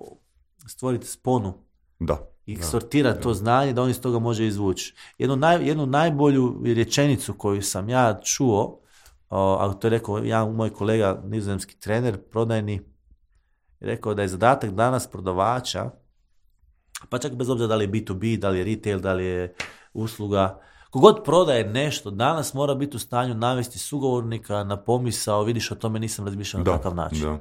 stvoriti sponu. Da. I da, sortirati da. to znanje da on iz toga može izvući. Jednu, naj, jednu najbolju rečenicu koju sam ja čuo, a to je rekao ja, moj kolega, nizozemski trener, prodajni, rekao da je zadatak danas prodavača, pa čak bez obzira da li je B to B, da li je retail, da li je usluga, kogod prodaje nešto, danas mora biti u stanju navesti sugovornika na pomisao, vidiš, o tome nisam razmišljao na takav način. Da,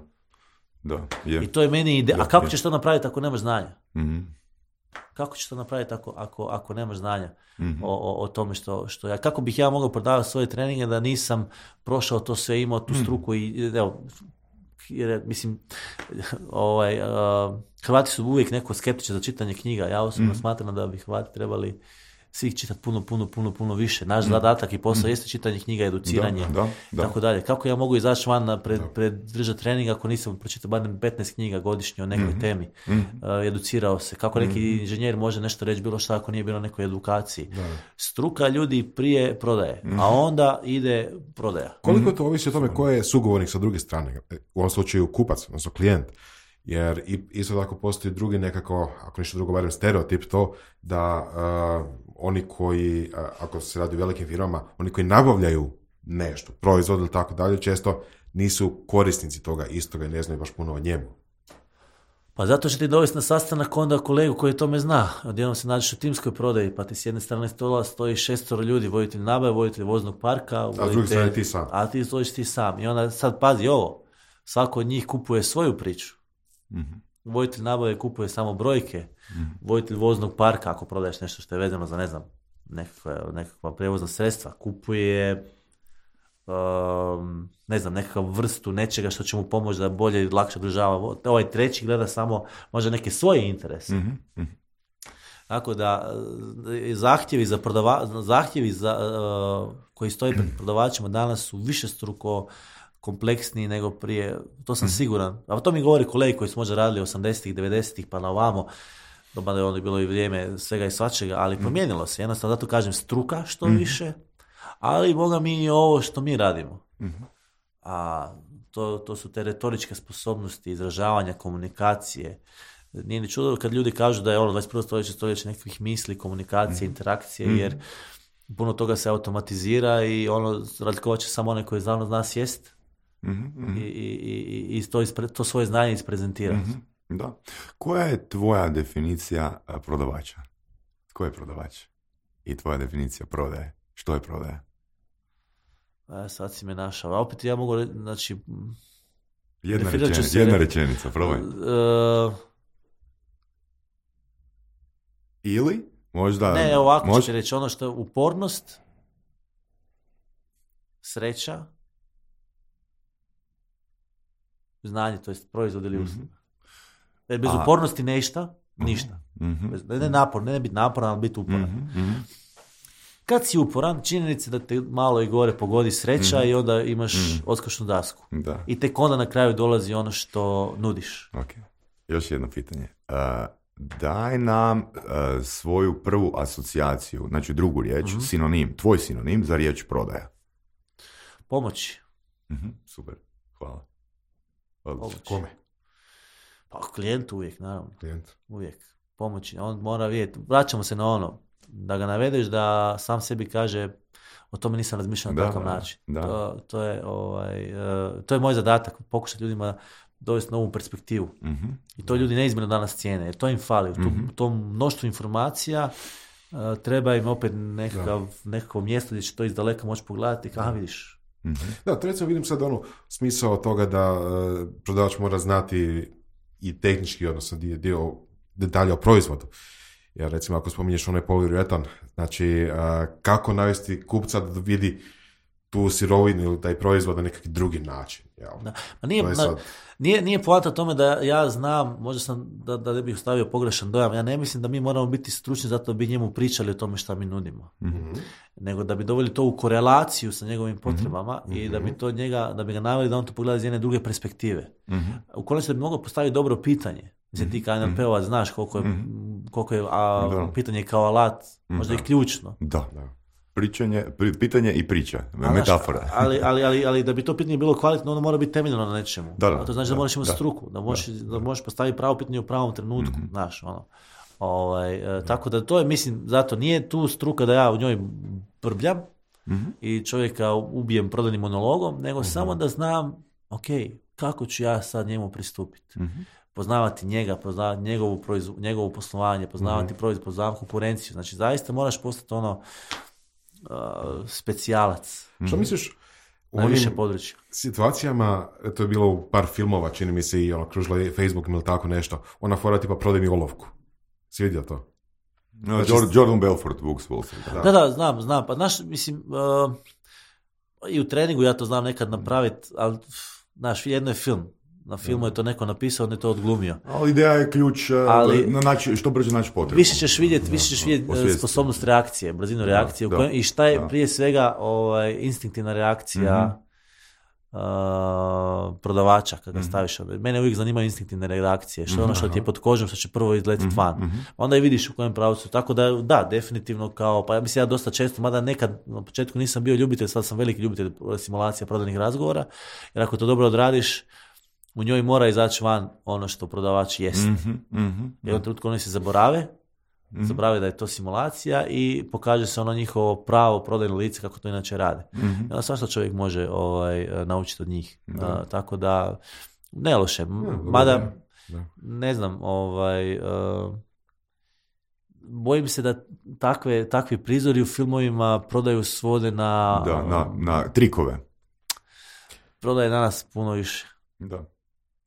da, je. I to je meni ide. Da, a kako je. ćeš to napraviti ako nemaš znanja? Mm-hmm. Kako ćeš to napraviti ako, ako, ako nemaš znanja mm-hmm. o, o, o tome što, što ja, kako bih ja mogao prodavati svoje treninge da nisam prošao to sve, imao tu struku i evo, jer, mislim, ovaj, uh, Hrvati su uvijek neko skeptični za čitanje knjiga. Ja osobno mm. smatram da bi Hrvati trebali svih čitati puno, puno, puno, puno više. Naš mm. zadatak i posao mm. jeste čitanje knjiga, educiranje, da, da, da. tako dalje. Kako ja mogu izaći van na pred, pred držati trening ako nisam pročitao barem petnaest knjiga godišnje o nekoj mm. temi, mm. Uh, educirao se. Kako neki mm. inženjer može nešto reći bilo šta ako nije bilo nekoj edukaciji. Da. Struka ljudi prije prodaje, mm. a onda ide prodaja. Koliko to ovisi o tome ko je sugovornik sa druge strane? U ovom slučaju kupac, odnosno klijent. Jer isto tako postoji drugi nekako, ako ništa drugo, barem stereotip to, da uh, oni koji, uh, ako se radi o velikim firmama, oni koji nabavljaju nešto, proizvod ili tako dalje, često nisu korisnici toga istoga i ne znaju baš puno o njemu. Pa zato će ti dovesti na sastanak onda kolegu koji o tome zna. Odjednom se nađeš u timskoj prodaji, pa ti s jedne strane stola stoji šestoro ljudi, voditelj nabave, voditelj voznog parka, voditelj, a s druge strane ti sam. A ti stojiš ti sam. I onda sad pazi ovo, svako od njih kupuje svoju priču. Mm-hmm. Voditelj nabave kupuje samo brojke, mm-hmm. voditelj voznog parka, ako prodaješ nešto što je vezano za, ne znam, nekakva, nekakva prevozna sredstva, kupuje um, ne znam, nekakvu vrstu nečega što će mu pomoći da bolje i lakše održava. Ovaj treći gleda samo možda neke svoje interese. Mm-hmm. Tako da zahtjevi za prodava, zahtjevi za, uh, koji stoji pred prodavačima danas su višestruko kompleksniji nego prije, to sam siguran. A to mi govori kolegi koji su možda radili osamdesetih, devedesetih pa na ovamo, da je onda bilo i vrijeme svega i svačega, ali promijenilo se. Jednostavno, zato kažem struka što više, ali boga mi i ovo što mi radimo. A to, to su te retoričke sposobnosti, izražavanja, komunikacije. Nije ni čudo kad ljudi kažu da je ono dvadeset prvo stoljeće stoljeće nekakvih misli, komunikacije, interakcije, jer puno toga se automatizira i ono razlikovat će samo onaj koji znano zna sjest mm-hmm. i, i, i, i to, ispre, to svoje znanje isprezentirati. Mm-hmm. Da. Koja je tvoja definicija prodavača? Tko je prodavač? I tvoja definicija prodaje? Što je prodaja? A, sad si me našao. A opet ja mogu reći, znači... Jedna, rečenica, jedna rečenica, probaj. Uh, uh, Ili Možda... Ne, ovako možda... ću reći, ono što je upornost, sreća, znanje, to jest proizvod ili usluga. Mm-hmm. Bez A... upornosti nešta, ništa. Mm-hmm. Bez, ne napor, ne biti naporan, ali biti uporan. Mm-hmm. Kad si uporan, činjenica da te malo i gore pogodi sreća mm-hmm. i onda imaš mm-hmm. odskočnu dasku. Da. I tek onda na kraju dolazi ono što nudiš. Ok. Još jedno pitanje. Uh, daj nam uh, svoju prvu asocijaciju, znači drugu riječ, mm-hmm. sinonim, tvoj sinonim za riječ prodaja. Pomoći. Mm-hmm. Super, hvala. Pomoći. Kome? Pa klijentu uvijek, naravno. Klijent. Uvijek. Pomoći. On mora vidjeti. Vraćamo se na ono. Da ga navedeš da sam sebi kaže o tome nisam razmišljao na takav način. Da. To, to, je, ovaj, uh, to je moj zadatak. Pokušati ljudima dovesti novu perspektivu. Mm-hmm. I to ljudi neizmjerno danas cijene. Jer to im fali. Mm-hmm. U tom mnoštvu informacija uh, treba im opet nekakav, nekako mjesto gdje će to iz daleka moći pogledati. Aha, vidiš. Mm-hmm. Da, to recimo vidim sad ono smisao toga da uh, prodavač mora znati i tehnički, odnosno dio, dio detalja o proizvodu. Jer recimo ako spominješ onaj poliuretan, znači uh, kako navesti kupca da vidi tu sirovinu ili taj proizvod na nekakvi drugi način. Jel? Da. Ma nije, sad... na, nije, nije poanta tome da ja znam, možda sam da, da ne bih ostavio pogrešan dojam, ja ne mislim da mi moramo biti stručni zato da bi njemu pričali o tome šta mi nudimo. Mm-hmm. Nego da bi doveli to u korelaciju sa njegovim potrebama mm-hmm. i da bi to njega, da bi ga naveli da on to pogleda iz jedne druge perspektive. Mm-hmm. U konačnici da bi mogao postaviti dobro pitanje. Mislim, ti kao N L P-ovac znaš koliko je, mm-hmm. koliko je a, pitanje kao alat, možda da. I ključno. Da, da. Pričanje, pitanje i priča, metafora. Ali, ali, ali, ali da bi to pitanje bilo kvalitetno, ono mora biti temeljeno na nečemu. Da, da, to znači da, da moraš imati da, struku, da možeš, da, da možeš postaviti pravo pitanje u pravom trenutku, mm-hmm. znaš, ono. Ovaj, e, tako da to je, mislim, zato nije tu struka da ja u njoj brbljam mm-hmm. i čovjeka ubijem prodajnim monologom, nego mm-hmm. samo da znam, ok, kako ću ja sad njemu pristupiti. Mm-hmm. Poznavati njega, poznavati njegovu, proizv, njegovu poslovanje, poznavati mm-hmm. proizvod, poznavati konkurenciju. Znači, zaista moraš postati ono uh, specijalac. Mm-hmm. Što misliš u onim područja situacijama, to je bilo u par filmova, čini mi se i ono, kružila je Facebook ili tako nešto, ona fora tipa prodaj mi olovku. Si vidio to? No, znači, Jordan Belfort, Books Wall Street. Da. da, da, znam, znam. Pa, znaš, mislim, uh, i u treningu ja to znam nekad napraviti, ali, znaš, jedno je film. Na filmu je to neko napisao, on je to odglumio. Ali ideja je ključ ali, na naći, što brže naći potrebu. Više ćeš vidjeti, više ćeš vidjeti sposobnost reakcije, brzinu reakcije, da, u kojem, da, i šta je da. Prije svega ovaj, instinktivna reakcija mm-hmm. uh, prodavača kada mm-hmm. staviš. Mene uvijek zanimaju instinktivne reakcije, što je mm-hmm. ono što ti je pod kožom, što će prvo izletiti mm-hmm. van. Mm-hmm. Onda i vidiš u kojem pravcu. Tako da, da, definitivno kao, pa ja mislim ja dosta često, mada nekad na početku nisam bio ljubitelj, sad sam veliki ljubitelj simulacija prodajnih razgovora, jer ako to dobro odradiš, u njoj mora izaći van ono što prodavač jeste. Mm-hmm, mm-hmm, Jednom trenutku oni se zaborave, mm-hmm. zaborave da je to simulacija i pokaže se ono njihovo pravo prodajno lice kako to inače rade. Mm-hmm. I onda svašta čovjek može ovaj, naučiti od njih. Da. Uh, tako da, ne loše. Ja, mada, da. ne znam, ovaj, uh, bojim se da takve, takvi prizori u filmovima prodaju svode na... Da, na, na trikove. Prodaje danas puno više. Da.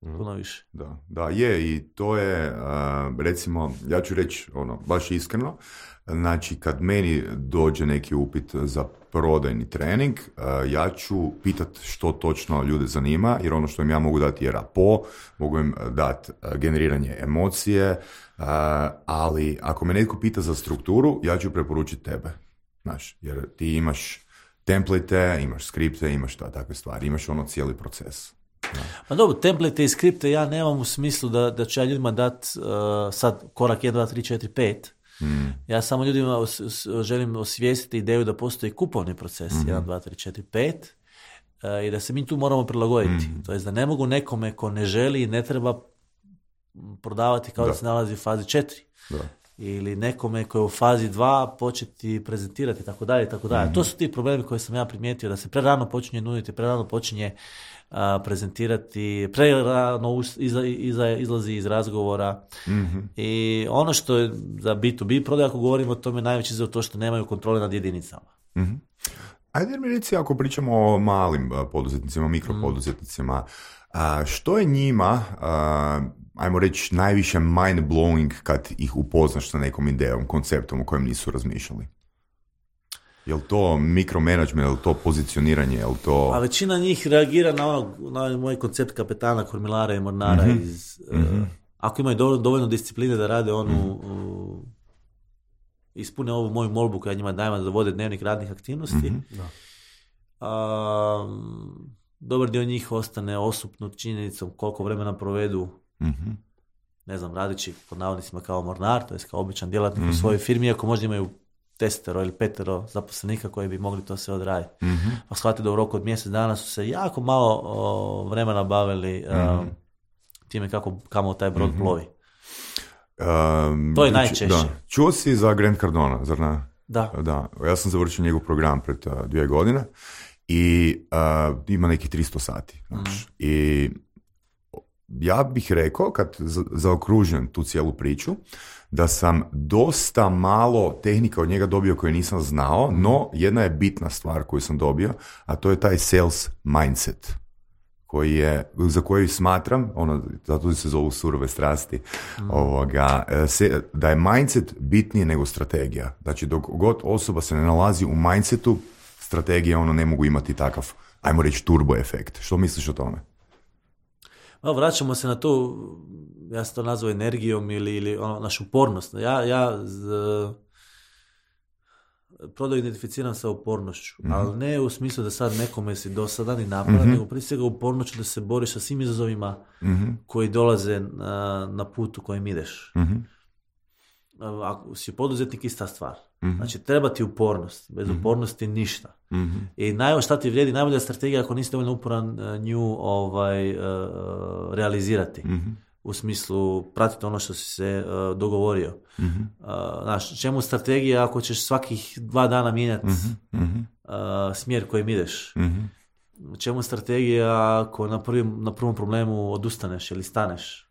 Puno više. Da, da, je i to je, uh, recimo, ja ću reći ono, baš iskreno, znači kad meni dođe neki upit za prodajni trening, uh, ja ću pitat što točno ljude zanima, jer ono što im ja mogu dati je rapo, mogu im dati uh, generiranje emocije, uh, ali ako me netko pita za strukturu, ja ću preporučiti tebe, znaš, jer ti imaš template, imaš skripte, imaš ta, takve stvari, imaš ono cijeli proces. No. Pa dobro, template i skripte ja nemam u smislu da, da ću ja ljudima dati uh, sad korak jedan, dva, tri, četiri, pet. Mm. Ja samo ljudima os, os, želim osvijestiti ideju da postoji kupovni proces mm-hmm. jedan, dva, tri, četiri, pet uh, i da se mi tu moramo prilagoditi. Mm. To je da ne mogu nekome ko ne želi i ne treba prodavati kao da, da se nalazi u fazi četiri. Da. Ili nekome koji je u fazi dva početi prezentirati, tako dalje, tako dalje. Mm-hmm. To su ti problemi koje sam ja primijetio, da se prerano počinje nuditi, prerano počinje a, prezentirati, prerano iza, iza, izlazi iz razgovora. Mm-hmm. I ono što je za B to B prodaj, ako govorimo o tome, najveći za to što nemaju kontrole nad jedinicama. Mm-hmm. Ajde mi reci, ako pričamo o malim poduzetnicima, mikropoduzetnicima, a, što je njima, a, ajmo reći, najviše mind-blowing kad ih upoznaš sa nekom idejom, konceptom o kojem nisu razmišljali? Je li to mikromanagement, je li to pozicioniranje, je li to... A većina njih reagira na, ono, na moj koncept kapetana, kormilara i mornara. Mm-hmm. Iz, mm-hmm. Uh, ako imaju dovoljno, dovoljno discipline da rade onu... Mm-hmm. Uh, ispune ovu moju molbu koja njima dajem da vode dnevnik radnih aktivnosti. Mm-hmm. Da. Uh, dobar dio njih ostane osupnut činjenicom koliko vremena provedu, mm-hmm. ne znam, radići pod navodnicima kao mornar, to je kao običan djelatnik mm-hmm. u svojoj firmi, iako možda imaju desetero ili petero zaposlenika koji bi mogli to sve odraditi. Mm-hmm. Pa shvatili da u roku od mjesec dana su se jako malo o, vremena bavili mm-hmm. um, time kako kamo taj brod mm-hmm. plovi. Um, to je najčešće. Da. Čuo si za Grant Cardona, zar ne? Da. Da. Ja sam završio njegov program pred uh, dvije godine i uh, ima nekih tristo sati. Znači. Mm. I ja bih rekao, kad za, zaokružujem tu cijelu priču, da sam dosta malo tehnika od njega dobio koje nisam znao, no jedna je bitna stvar koju sam dobio, a to je taj sales mindset. Koji je, za koji smatram, ono, zato se zovu surove strasti, mm. ovoga, se, da je mindset bitnije nego strategija. Znači, dok god osoba se ne nalazi u mindsetu, strategije ono ne mogu imati takav, ajmo reći, turbo efekt. Što misliš o tome? No, vraćamo se na to, ja sam to nazvao energijom ili, ili ono, našu upornost. Ja, ja z, prodaju identificiram sa upornošću, mm-hmm. ali ne u smislu da sad nekome si dosadan i napadan, mm-hmm. nego prije svega upornošću da se boriš sa svim izazovima mm-hmm. koji dolaze na, na putu kojim ideš. Mm-hmm. Ako si poduzetnik, ista stvar. Mm-hmm. Znači, treba ti upornost. Bez mm-hmm. upornosti ništa. Mm-hmm. I najbolje šta ti vrijedi, najbolja strategija ako nisi dovoljno uporan nju ovaj, uh, realizirati. Mm-hmm. U smislu pratiti ono što si se uh, dogovorio. Mm-hmm. Uh, znaš, čemu strategija ako ćeš svakih dva dana mijenjati mm-hmm. uh, smjer kojim ideš? Mm-hmm. Čemu strategija ako na, prvim, na prvom problemu odustaneš ili staneš?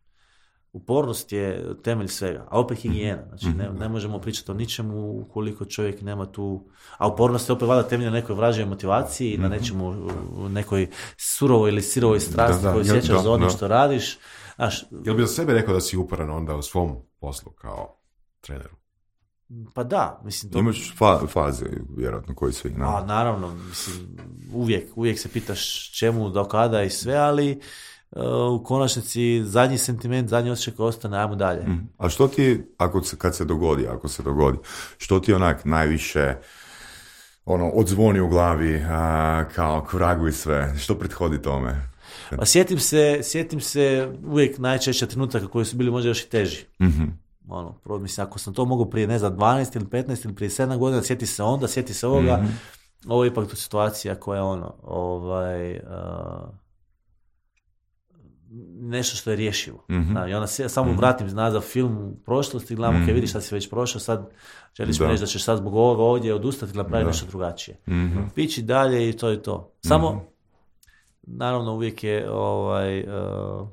Upornost je temelj svega, a opet higijena. Znači, ne, ne možemo pričati o ničemu ukoliko čovjek nema tu... A upornost je opet vada temelj na nekoj vražoj motivaciji, mm-hmm. na nečemu, nekoj surovoj ili sirovoj strasti koju sjećaš za ono što radiš. Znaš, jel bi za sebe rekao da si uporan onda u svom poslu kao treneru? Pa da, mislim... To... Imaš fa- faze, vjerojatno, koji svi... No. A, naravno, mislim, uvijek, uvijek se pitaš čemu, do kada i sve, ali uh, u konačnici zadnji sentiment, zadnji osjećaj koji ostane, ajmo dalje. Mm. A što ti, ako, kad se dogodi, ako se dogodi, što ti onak najviše ono, odzvoni u glavi, a, kao kvragu i sve, što prethodi tome? Pa sjetim se, sjetim se uvijek najčešće trenutaka koji su bili možda još i teži. Mm-hmm. Ono, prvo, mislim, ako sam to mogao prije, ne znam, dvanaest ili petnaest ili prije sedam godina, sjeti se onda, sjeti se ovoga, mm-hmm. ovo je ipak tu situacija koja je ono, ovaj, uh, nešto što je rješivo. Mm-hmm. Znači, onda se, samo mm-hmm. vratim nazad film u prošlosti, gledam, mm-hmm. ok, vidiš šta si već prošao, sad želiš mi reći da ćeš sad zbog ovoga ovdje odustati ili napraviti nešto drugačije. Mm-hmm. Pići dalje i to je to. Samo, mm-hmm. naravno, uvijek je ovaj, uh,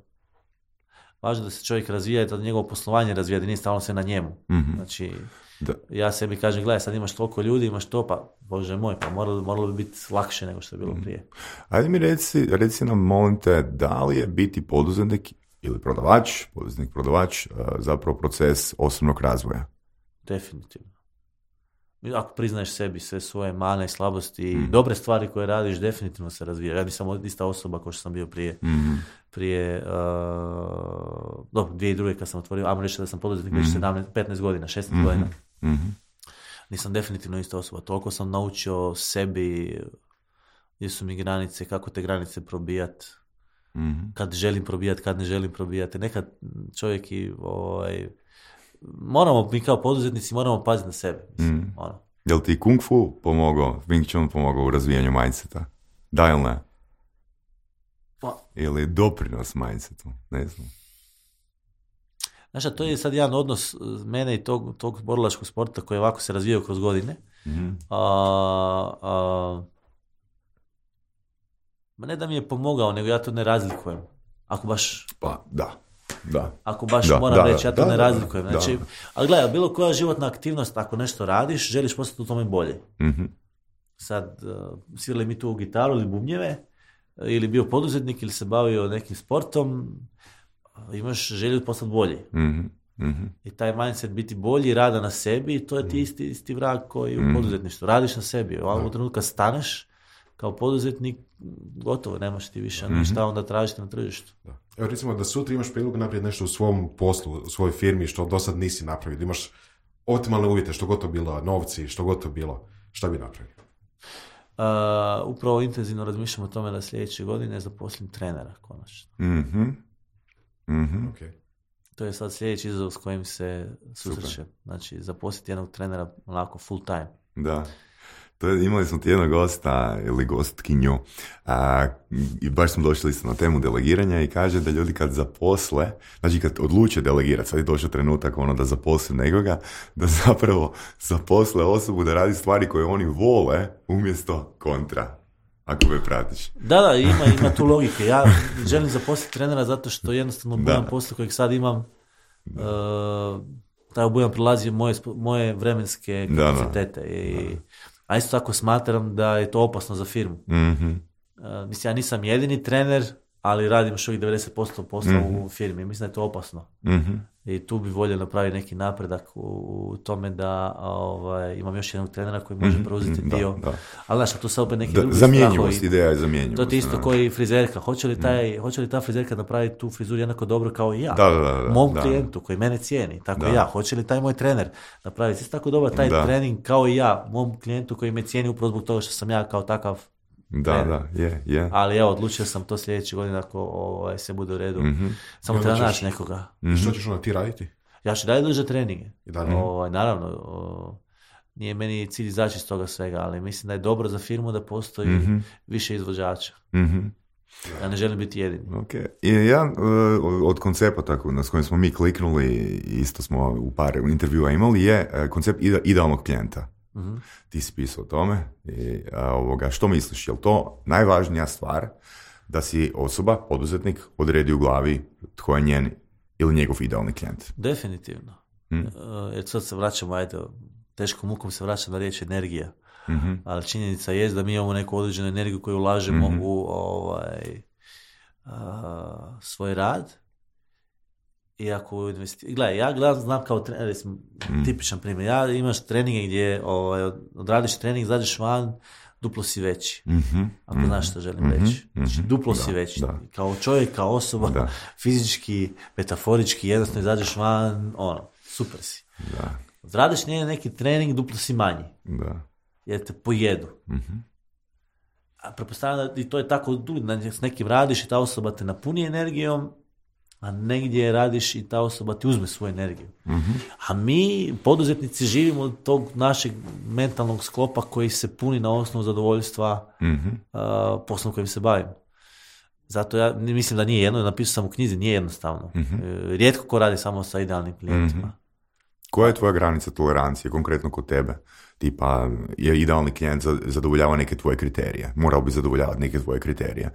važno da se čovjek razvija i da njegovo poslovanje razvija, da nije stalno sve na njemu. Mm-hmm. Znači, da. Ja sebi kažem, gledaj, sad imaš toliko ljudi, imaš to, pa, bože moj, pa moralo, moralo bi biti lakše nego što je bilo mm-hmm. prije. Ajde mi reci, reci nam, molim te, da li je biti poduzetnik ili prodavač, poduzetnik, prodavač, uh, zapravo proces osobnog razvoja? Definitivno. Ako priznaješ sebi sve svoje mane i slabosti i mm. dobre stvari koje radiš, definitivno se razvija. Ja nisam ista osoba kao što sam bio prije, mm. prije uh, dobro, dvije i druge kad sam otvorio, ajmo reći da sam poduzetnik već mm. sedamnaest, petnaest godina, šesnaest mm. godina. Mm. Nisam definitivno ista osoba. Toliko sam naučio sebi gdje su mi granice, kako te granice probijati, mm. kad želim probijati, kad ne želim probijati. Nekad čovjek i ovaj, moramo, mi kao poduzetnici moramo paziti na sebe. Mislim, mm. ono. Jel ti Kung Fu pomogao, Wing Chun pomogao u razvijanju mindseta? Da ili ne? Pa. Ili doprinos mindsetu? Ne znam. Znaš, to je sad jedan odnos mene i tog, tog borilačkog sporta koji ovako se razvijao kroz godine. Mm. A, a, ne da mi je pomogao, nego ja to ne razlikujem. Ako baš... Pa, da. Da. Ako baš da, moram da, reći, ja to da, ne da, razlikujem. Da, znači, da. Ali gledaj, bilo koja životna aktivnost, ako nešto radiš, želiš postati u tome bolje. Mm-hmm. sad uh, svirali mi tu gitaru ili bubnjeve, ili bio poduzetnik ili se bavio nekim sportom, imaš želju postati bolji. Mm-hmm. Mm-hmm. I taj mindset biti bolji, rada na sebi, to je ti isti, isti vrag koji u poduzetništvu. Radiš na sebi. U ovom trenutku kad staneš kao poduzetnik, gotovo, nemaš ti više mm-hmm. šta onda tražiti na tržištu. Da. Evo recimo da sutra imaš priliku napraviti nešto u svom poslu, u svojoj firmi što do sad nisi napravio. Imaš optimalne uvjete, što god to bilo, novci, što god to bilo. Šta bi napravio? Uh, upravo intenzivno razmišljam o tome da sljedeće godine zaposlim trenera, konačno. Mm-hmm. Mm-hmm. Okay. To je sad sljedeći izazov s kojim se susrećem. Znači, zaposliti jednog trenera onako full time. Da. To je, imali smo ti jednog gosta ili gostkinju a, i baš smo došli isto na temu delegiranja i kaže da ljudi kad zaposle, znači kad odluče delegirati, sad je došao trenutak ono da zaposle nekoga, da zapravo zaposle osobu da radi stvari koje oni vole umjesto kontra. Ako me pratiš. Da, da, ima, ima tu logike. Ja želim zaposliti trenera zato što jednostavno obujam posla kojeg sad imam, uh, taj obujam prilazi moje, moje vremenske kapacitete. Da, da. I, a isto tako smatram da je to opasno za firmu. Mm-hmm. Uh, mislim, ja nisam jedini trener, ali radim još uvijek devedeset posto posla mm-hmm. u firmi. Mislim da je to opasno. Mm-hmm. I tu bi volio napraviti neki napredak u, u tome da ovaj, imam još jednog trenera koji može preuzeti mm-hmm. dio. Da, da. Ali znaš, tu se opet neki da, drugi zamjenjivost, ideja je zamjenjivost. To je isto koji frizerka. Hoće li, taj, mm. hoće li ta frizerka napraviti tu frizuru jednako dobro kao i ja? Da, da, da, mom da. klijentu koji mene cijeni, tako da. ja. Hoće li taj moj trener napraviti isto tako dobro taj da. trening kao i ja, mom klijentu koji me cijeni upravo zbog toga što sam ja kao takav. Da, trener. Da, je, yeah, je. Yeah. Ali evo, odlučio sam to sljedeće godine ako ovaj, se bude u redu. Mm-hmm. Samo treba naći nekoga. Mm-hmm. Što ćeš onda ti raditi? Ja ću dalje držati treninge. Mm-hmm. O, naravno, o, nije meni cilj izaći iz toga svega, ali mislim da je dobro za firmu da postoji mm-hmm. više izvođača. Mm-hmm. Ja ne želim biti jedini. Okay. I jedan od koncepata na s kojim smo mi kliknuli, isto smo u par intervjua imali, je koncept idealnog klijenta. Mm-hmm. Ti si pisao o tome. I, a, ovoga, što misliš? Je li to najvažnija stvar da si osoba, poduzetnik, odredi u glavi tko je njen ili njegov idealni klijent? Definitivno. Mm. Uh, jer sad se vraćamo, ajde, teškom mukom se vraća na riječ energija. Mm-hmm. Ali činjenica je da mi imamo neku određenu energiju koju ulažemo mm-hmm. u ovaj, uh, svoj rad. I ako investi... Gledaj, ja gledam, znam kao trener, mm. tipičan primjer. Ja imaš treninge gdje ovaj, odradiš trening, zađeš van, duplo si veći. Mm-hmm. Ako mm-hmm. znaš što želim mm-hmm. reći. Znači, duplo da, si veći. Da. Kao čovjek, kao osoba, da. fizički, metaforički, jednostavno izađeš van, ono, super si. Da. Odradiš neki trening, duplo si manji. Da. Jer te pojedu. Mm-hmm. A pretpostavljam da i to je tako, s nekim radiš i ta osoba te napuni energijom, a negdje radiš i ta osoba ti uzme svoju energiju. Mm-hmm. A mi, poduzetnici, živimo od tog našeg mentalnog sklopa koji se puni na osnovu zadovoljstva mm-hmm. uh, poslom kojim se bavimo. Zato ja mislim da nije jedno, napisao sam u knjizi, nije jednostavno. Mm-hmm. Rijetko ko radi samo sa idealnim klijentima. Mm-hmm. Koja je tvoja granica tolerancije, konkretno kod tebe? Tipa, je idealni klijent zadovoljava neke tvoje kriterije. Morao bi zadovoljavati neke tvoje kriterije.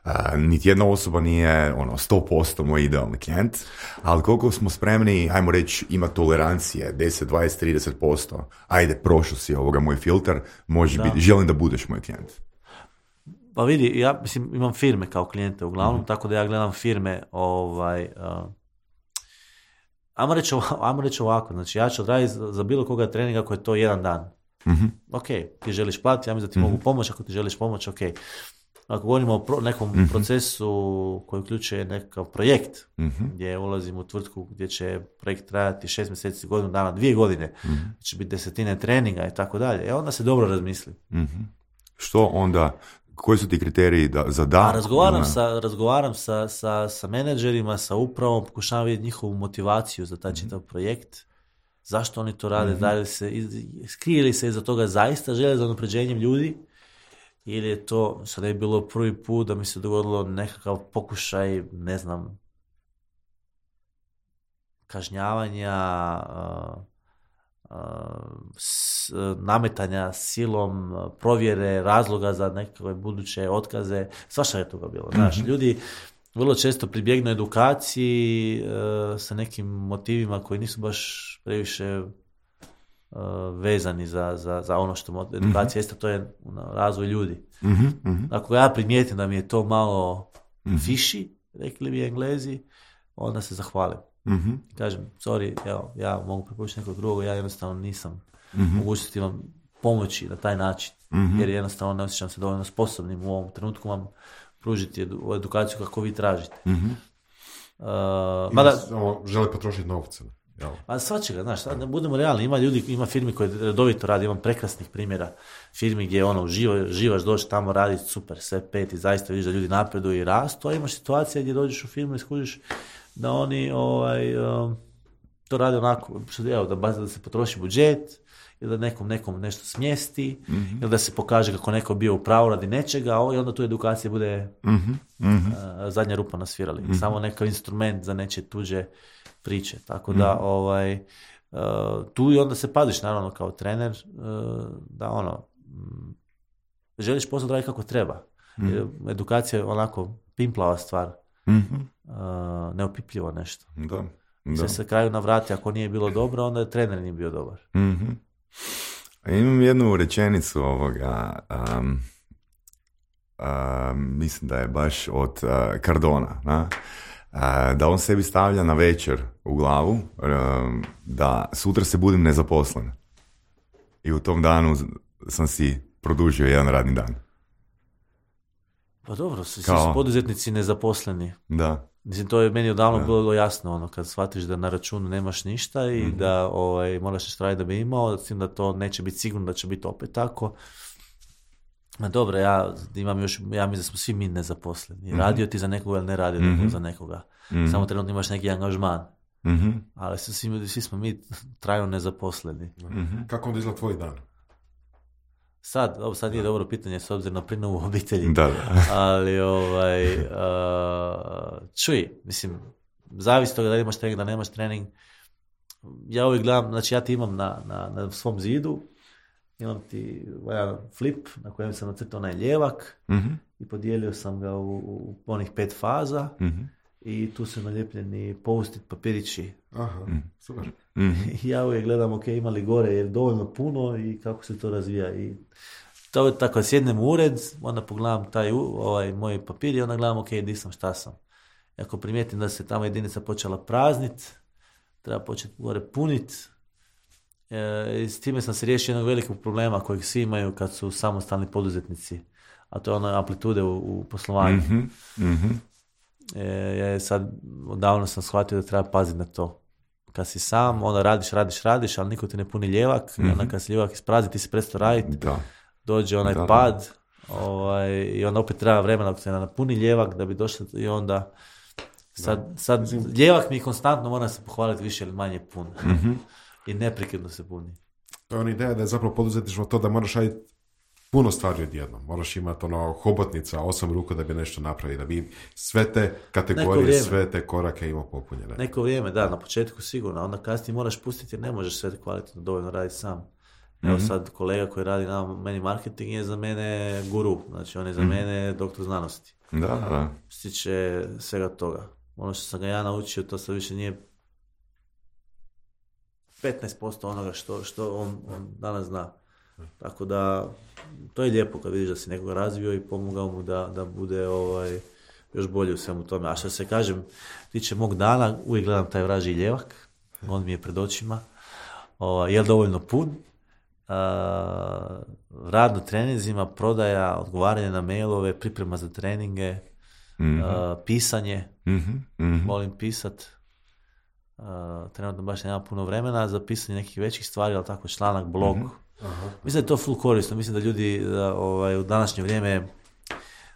Uh, niti jedna osoba nije ono, sto posto moj idealni klijent, ali koliko smo spremni, ajmo reći, ima tolerancije, deset, dvadeset, trideset posto. Ajde, prošao si ovoga moj filter, može biti, želim da budeš moj klijent. Pa vidi, ja mislim, imam firme kao klijente uglavnom, mm-hmm. tako da ja gledam firme ovaj... Uh, Ajmo reći, ajmo reći ovako, znači ja ću odraditi za, za bilo koga treninga ako je to jedan dan. Mm-hmm. Ok, ti želiš platiti, ja mislim da ti mm-hmm. mogu pomoći, ako ti želiš pomoći, ok. Ako govorimo o pro, nekom mm-hmm. procesu koji uključuje nekakav projekt, mm-hmm. gdje ulazim u tvrtku gdje će projekt trajati šest mjeseci, godinu dana, dvije godine, mm-hmm. će biti desetine treninga i tako dalje, e onda se dobro razmisli. Mm-hmm. Što onda... Koji su ti kriteriji da, za da? A razgovaram, sa, razgovaram sa, sa, sa menadžerima, sa upravom, pokušavam vidjeti njihovu motivaciju za taj čitav projekt. Zašto oni to rade? Mm-hmm. Da li se, skrije li se iza toga zaista žele za unapređenjem ljudi? Ili je to, sad je bilo prvi put da mi se dogodilo nekakav pokušaj, ne znam, kažnjavanja, uh, S, nametanja silom, provjere, razloga za nekakve buduće otkaze, svašta je toga bilo. Znaš, mm-hmm. ljudi vrlo često pribjegnu edukaciji e, sa nekim motivima koji nisu baš previše uh, vezani za, za, za ono što mod- edukacija mm-hmm. jeste, to je ono, razvoj ljudi. Mm-hmm. Ako ja primijetim da mi je to malo mm-hmm. fiši, rekli bi Englezi, onda se zahvalim. Mm-hmm. Kažem, sorry, evo, ja mogu preporučiti nekog drugog, ja jednostavno nisam mm-hmm. mogućnosti vam pomoći na taj način, mm-hmm. jer jednostavno ne osjećam se dovoljno sposobnim u ovom trenutku vam pružiti edu, edukaciju kako vi tražite. Mm-hmm. Uh, mada, žele potrošiti novce. Jel? A svačega, znaš, sad ne budemo realni, ima ljudi, ima firmi koje redovito radi, imam prekrasnih primjera firmi gdje ono, živa, živaš, dođeš tamo raditi super, sve pet i zaista vidiš da ljudi napreduju i rastu, a imaš situacije gdje dođeš u firmu i skužiš da oni ovaj, um, to rade onako, evo, da, da se potroši budžet, ili da nekom nekom nešto smjesti, mm-hmm. ili da se pokaže kako neko bio u pravu radi nečega, i onda tu edukacija bude mm-hmm. Mm-hmm. Uh, zadnja rupa na svirali. Mm-hmm. Samo nekakav instrument za nečije tuđe priče. Tako da mm-hmm. ovaj, uh, tu i onda se paziš naravno kao trener uh, da ono m, želiš posao raditi kako treba. Mm-hmm. Edukacija je onako pimplava stvar. Mm-hmm. Uh, neopipljivo nešto. Da. Sve se kraju navrati, ako nije bilo dobro, onda je trener nije bio dobar. Mm-hmm. Imam jednu rečenicu ovoga, um, um, mislim da je baš od uh, Cardona, na? Uh, da on sebi stavlja na večer u glavu um, da sutra se budim nezaposlen. I u tom danu sam si produžio jedan radni dan. Pa dobro, svi su Kao... poduzetnici nezaposleni. Da. Mislim, to je meni odavno da. bilo jasno, ono, kad shvatiš da na računu nemaš ništa i mm-hmm. da ovaj, moraš nešto raditi da bi imao, s tim da to neće biti sigurno da će biti opet tako. A dobro, ja imam još, ja mislim da smo svi mi nezaposleni. Mm-hmm. Radio ti za nekoga ili ne radio mm-hmm. za nekoga. Mm-hmm. Samo trenutno imaš neki angažman. Mm-hmm. Ali svi, svi smo mi trajno nezaposleni. Mm-hmm. Kako onda izgleda tvoj dan? Sad, ovo sad nije dobro pitanje s obzirom na prinovu obitelji, da, da. ali ovaj, uh, čuj, mislim, zavisi toga da imaš trening, da nemaš trening. Ja uvijek gledam, znači ja ti imam na, na, na svom zidu, imam ti jedan flip na kojem sam nacrtao onaj ljevak mm-hmm. i podijelio sam ga u, u onih pet faza mm-hmm. i tu su nalijepljeni post-it papirići. Aha, mm. super. Mm-hmm. Ja uvijek gledam, ok, ima li gore, je dovoljno puno i kako se to razvija. I to je tako, sjednem u ured, onda pogledam taj ovaj, moj papir i onda gledam, ok, di sam, šta sam. I ako primijetim da se tamo jedinica počela praznit, treba početi gore punit. E, i s time sam se riješio jednog velikog problema kojeg svi imaju kad su samostalni poduzetnici, a to je ono amplitude u, u poslovanju. Mm-hmm. Mm-hmm. E, sad, odavno sam shvatio da treba paziti na to. Kad si sam, onda radiš, radiš, radiš, ali niko ti ne puni ljevak, mm-hmm. i onda kad se ljevak isprazni, ti se prestao raditi, da. dođe onaj da, pad, da. Ovaj, i onda opet treba vremena dok se ne napuni ljevak da bi došlo, i onda sad, sad ljevak mi konstantno mora se pohvaliti više ili manje pun. Mm-hmm. I neprekidno se puni. To je ona ideja da je zapravo poduzetništvo to da moraš raditi puno stvari odjednom. Moraš imati ono hobotnica, osam ruku da bi nešto napravili, da bi sve te kategorije, sve te korake imao popunjene. Neko vrijeme, da, na početku sigurno, onda kasnije moraš pustiti jer ne možeš sve kvalitetno dovoljno raditi sam. Evo mm-hmm. sad kolega koji radi na meni marketing je za mene guru, znači on je za mm-hmm. mene doktor znanosti. Da, da. Stiče svega toga. Ono što sam ga ja naučio, to sad više nije petnaest posto onoga što, što on, on danas zna. Tako da, to je lijepo kad vidiš da si nekoga razvio i pomogao mu da, da bude ovaj, još bolje u svemu tome. A što se kažem, tiče mog dana, uvijek gledam taj vražji ljevak, on mi je pred očima, ovaj, je li dovoljno pun, uh, rad na treninzima, prodaja, odgovaranje na mailove, priprema za treninge, mm-hmm. uh, pisanje, mm-hmm. Mm-hmm. volim pisat. Uh, trenutno baš nema puno vremena za pisanje nekih većih stvari, ali tako članak, blog. Mm-hmm. Aha. Mislim da je to full korisno, mislim da ljudi da, ovaj, u današnje vrijeme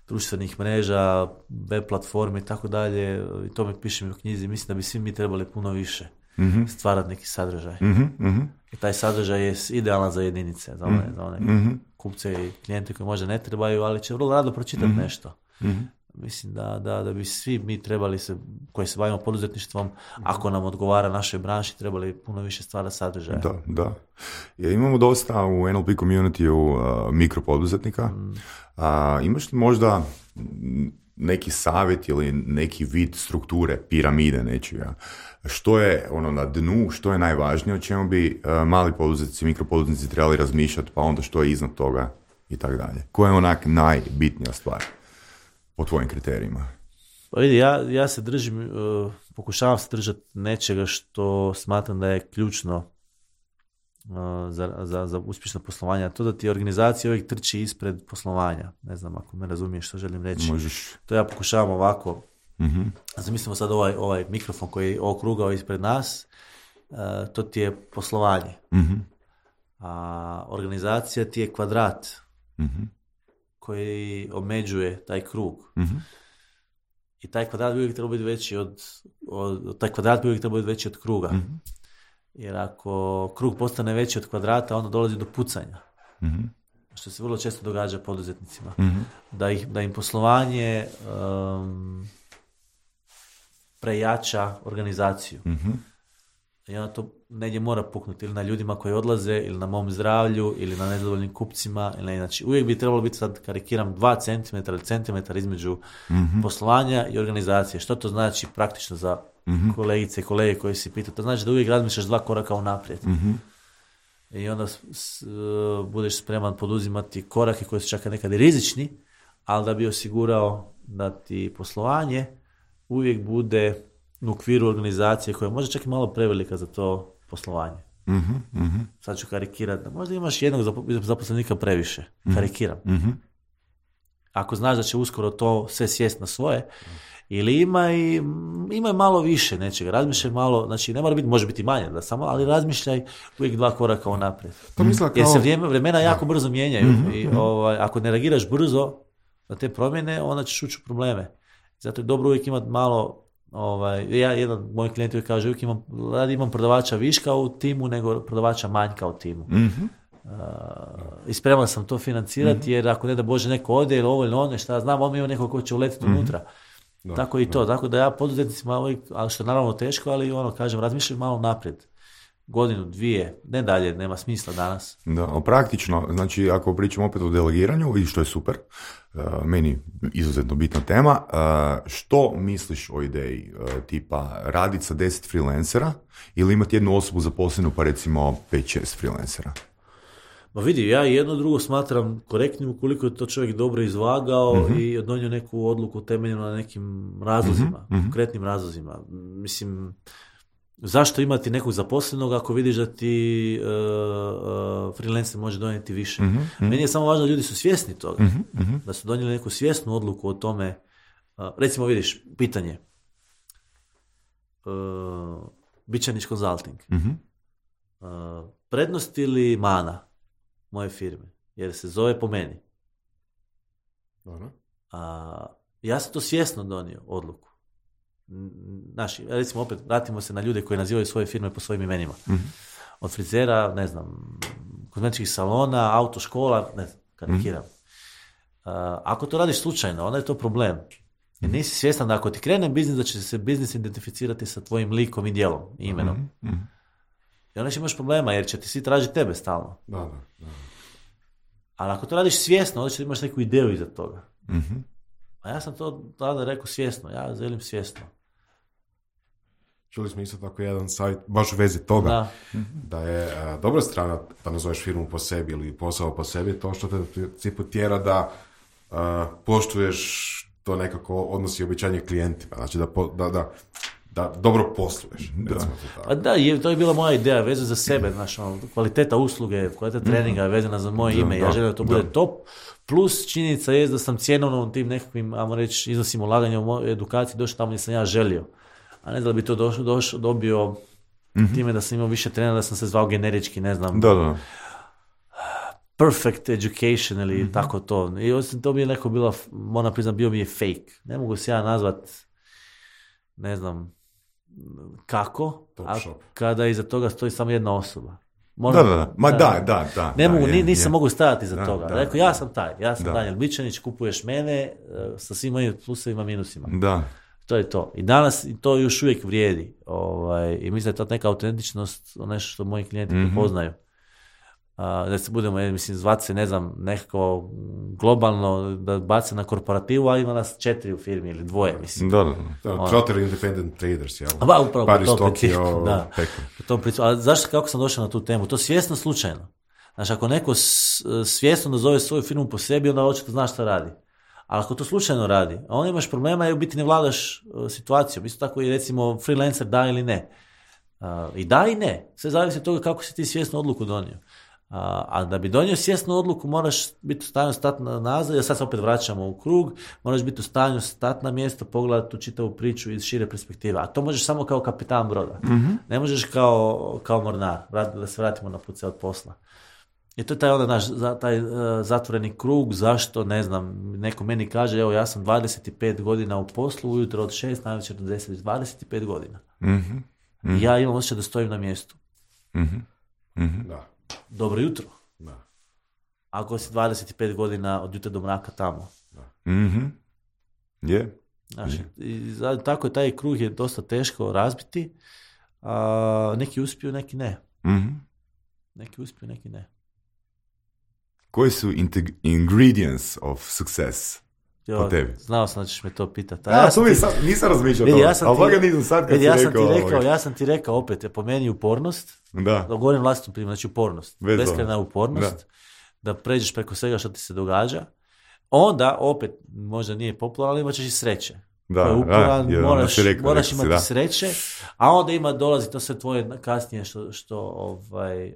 društvenih mreža, web platforme i tako dalje, i to mi pišem u knjizi, mislim da bi svi mi trebali puno više mm-hmm. stvarati neki sadržaj. Mm-hmm. I taj sadržaj je idealan za jedinice, za one, mm-hmm. za one mm-hmm. kupce i klijente koji možda ne trebaju, ali će vrlo rado pročitati mm-hmm. nešto. Mm-hmm. Mislim da, da, da bi svi mi trebali se, koji se bavimo poduzetništvom, mm-hmm. ako nam odgovara našoj branši, trebali puno više stvara sadržaja. Da, da. Ja, imamo dosta u N L P community-u uh, mikropoduzetnika. Mm. Uh, imaš li možda neki savjet ili neki vid strukture, piramide nečega. Što je ono na dnu, što je najvažnije, o čemu bi uh, mali poduzetnici, mikropoduzetnici trebali razmišljati, pa onda što je iznad toga i tako dalje. Koja je onak najbitnija stvar po tvojim kriterijima? Pa vidi, ja, ja se držim, uh, pokušavam se držati nečega što smatram da je ključno uh, za, za, za uspješno poslovanje. To da ti organizacija uvijek trči ispred poslovanja. Ne znam ako me razumiješ što želim reći. Možeš. To ja pokušavam ovako. Mm-hmm. Zamislimo sad ovaj, ovaj mikrofon koji je okrugao ispred nas. Uh, to ti je poslovanje. Mm-hmm. A organizacija ti je kvadrat mm-hmm. koji omeđuje taj krug. Mm-hmm. I taj kvadrat bi uvijek trebao biti veći od, od, taj kvadrat bi uvijek trebao biti veći od kruga. Mm-hmm. Jer ako krug postane veći od kvadrata, onda dolazi do pucanja. Mm-hmm. Što se vrlo često događa poduzetnicima. Mm-hmm. Da, ih, da im poslovanje um, prejača organizaciju. Mm-hmm. I onda to negdje mora puknuti ili na ljudima koji odlaze, ili na mom zdravlju, ili na nezadovoljnim kupcima. Ili znači, uvijek bi trebalo biti, sad karikiram, dva centimetra ili centimetar između mm-hmm. poslovanja i organizacije. Što to znači praktično za mm-hmm. kolegice i kolege koji si pitaju? To znači da uvijek razmišljaš dva koraka unaprijed. Mm-hmm. I onda s, uh, budeš spreman poduzimati korake koji su čak nekad i rizični, ali da bi osigurao da ti poslovanje uvijek bude u okviru organizacije koja je možda čak i malo prevelika za to poslovanje. Mm-hmm, mm-hmm. Sad ću karikirati. Možda imaš jednog zaposlenika previše. Mm-hmm. Karikiram. Mm-hmm. Ako znaš da će uskoro to sve sjest na svoje, ili ima i ima malo više nečega. Razmišljaj malo, znači ne mora biti, može biti manje, da samo, ali razmišljaj uvijek dva koraka unaprijed. To misla kao... Jer se vrijeme, vremena jako da. brzo mijenjaju. Mm-hmm. I ovaj, ako ne reagiraš brzo na te promjene, onda ćeš ući u probleme. Zato je dobro uvijek imati malo. Ovaj, ja, jedan moj klijent uvijek kaže, uvijek imam, radi imam prodavača viška u timu nego prodavača manjka u timu. Mm-hmm. Uh, I spreman sam to financirati mm-hmm. jer ako ne da Bože neko ode ili ovo ili ono, šta znam, on ima neko ko će uletiti mm-hmm. unutra. Da, tako i to. Da. Tako da ja poduzetnicima uvijek, ali što je naravno teško, ali ono, kažem, razmišljam malo naprijed. Godinu, dvije, ne dalje, nema smisla danas. Da, praktično, znači ako pričamo opet o delegiranju, i što je super, uh, meni izuzetno bitna tema, uh, što misliš o ideji uh, tipa raditi sa deset freelancera ili imati jednu osobu zaposlenu pa recimo pet šest freelancera? Ma vidi, ja jedno drugo smatram korektnim ukoliko je to čovjek dobro izvagao mm-hmm. i donio neku odluku temeljenu na nekim razlozima, mm-hmm. konkretnim razlozima. Mislim, zašto imati nekog zaposlenog ako vidiš da ti uh, uh, freelancer može donijeti više? Mm-hmm. Meni je samo važno da ljudi su svjesni toga, mm-hmm. da su donijeli neku svjesnu odluku o tome. Uh, recimo vidiš, pitanje. Uh, Bičanić Consulting. Mm-hmm. Uh, prednost ili mana moje firme? Jer se zove po meni. Dobro. Uh, ja sam to svjesno donio odluku. Naši, recimo opet, vratimo se na ljude koji nazivaju svoje firme po svojim imenima. Mm-hmm. Od frizera, ne znam, kozmetičkih salona, autoškola, ne znam, karikiram. Mm-hmm. Uh, ako to radiš slučajno, onda je to problem. Jer nisi svjestan da ako ti krene biznis, da će se biznis identificirati sa tvojim likom i djelom, i imenom. Mm-hmm. I onda će imaš problema, jer će ti svi tražiti tebe stalno. Da, da, da. Ali ako to radiš svjesno, onda će imaš neku ideju iza toga. Mm-hmm. A ja sam to tada rekao svjesno, ja želim svjesno. Čuli smo isto tako jedan savjet, baš u vezi toga, da, da je a, dobra strana da nazoveš firmu po sebi ili posao po sebi, to što te u principu tjera da a, poštuješ to nekako odnos i obećanje klijentima, znači da, po, da, da, da dobro posluješ. Da. To tako. A da, je, to je bila moja ideja, vezana za sebe, znaš, ono, kvaliteta usluge, kvaliteta treninga je vezana za moje ime, da, ja želim da to bude da. top, plus činjenica je da sam cjenovno tim nekakvim, ajmo reći, iznosim ulaganja u moju edukaciju došao tamo gdje sam ja želio. A ne da bi to došlo, došlo, dobio mm-hmm. time da sam imao više trenera, da sam se zvao generički, ne znam. Da, da. Perfect education ili mm-hmm. tako to. I osim to bi je neko bilo, moram priznat, bio mi je fake. Ne mogu se ja nazvat, ne znam, kako, a kada iza toga stoji samo jedna osoba. Moram, da, da, ma da, da, da. da ne da, mogu, je, nisam je. mogu stajati iza da, toga. Da, Rekao, ja sam taj, ja sam da. Danijel Bičanić, kupuješ mene sa svim mojim plusevima, minusima. Da. To je to. I danas to još uvijek vrijedi. Ovaj, I mislim da je to neka autentičnost, nešto što moji klijenti mm-hmm. prepoznaju. da se budemo, mislim, zvati se, ne znam, nekako globalno, da bace na korporativu, a ima nas četiri u firmi ili dvoje, mislim. Da, da, da. Trotter Independent Traders, jel? Ba, upravo, Paris, po tom Tokio, da, po tom principu. A zašto, kako sam došao na tu temu? To svjesno slučajno. Znači, ako neko svjesno nazove svoju firmu po sebi, onda očito znaš šta radi. Ali ako to slučajno radi, a onda imaš problema i u biti ne vladaš uh, situacijom. Isto tako i recimo freelancer da ili ne. Uh, I da i ne. Sve zavisi od toga kako si ti svjesnu odluku donio. Uh, a da bi donio svjesnu odluku moraš biti u stanju stati na nazad, jer sad se opet vraćamo u krug, moraš biti u stanju stati na mjesto, pogledati tu čitavu priču iz šire perspektive. A to možeš samo kao kapitan broda. Mm-hmm. Ne možeš kao, kao mornar. Da se vratimo na put se od posla. I to je taj onda naš taj uh, zatvoreni krug, zašto, ne znam, neko meni kaže, evo ja sam dvadeset pet godina u poslu, ujutro od šest, največer do deset, dvadeset pet godina. Mm-hmm. Mm-hmm. I ja imam osjećaj da stojim na mjestu. Mm-hmm. Mm-hmm. Da. Dobro jutro. Da. Ako si dvadeset pet godina od jutra do mraka tamo. Da. Mm-hmm. Yeah. Znači, yeah. I tako je, taj krug je dosta teško razbiti, a neki uspiju, neki ne. Mm-hmm. Neki uspiju, neki ne. Koji su integ- ingredients of success jo, po tebi? Znao sam da ćeš me to pitati. Ja, ja sam ti, sad, nisam razmišljao vidi, to, ja ali boga nisam sad kad vidi, si ja rekao... Sam ti rekao ja sam ti rekao opet, po meni upornost, da. da govorim vlastitom primjeru, znači upornost, beskrajna upornost, da. da pređeš preko svega što ti se događa, onda opet, možda nije popularno, ali imat ćeš i sreće. Da, je uporan, da, moraš, rekao, moraš rekao imati da. sreće, a onda ima dolazi to sve tvoje kasnije što, što, ovaj,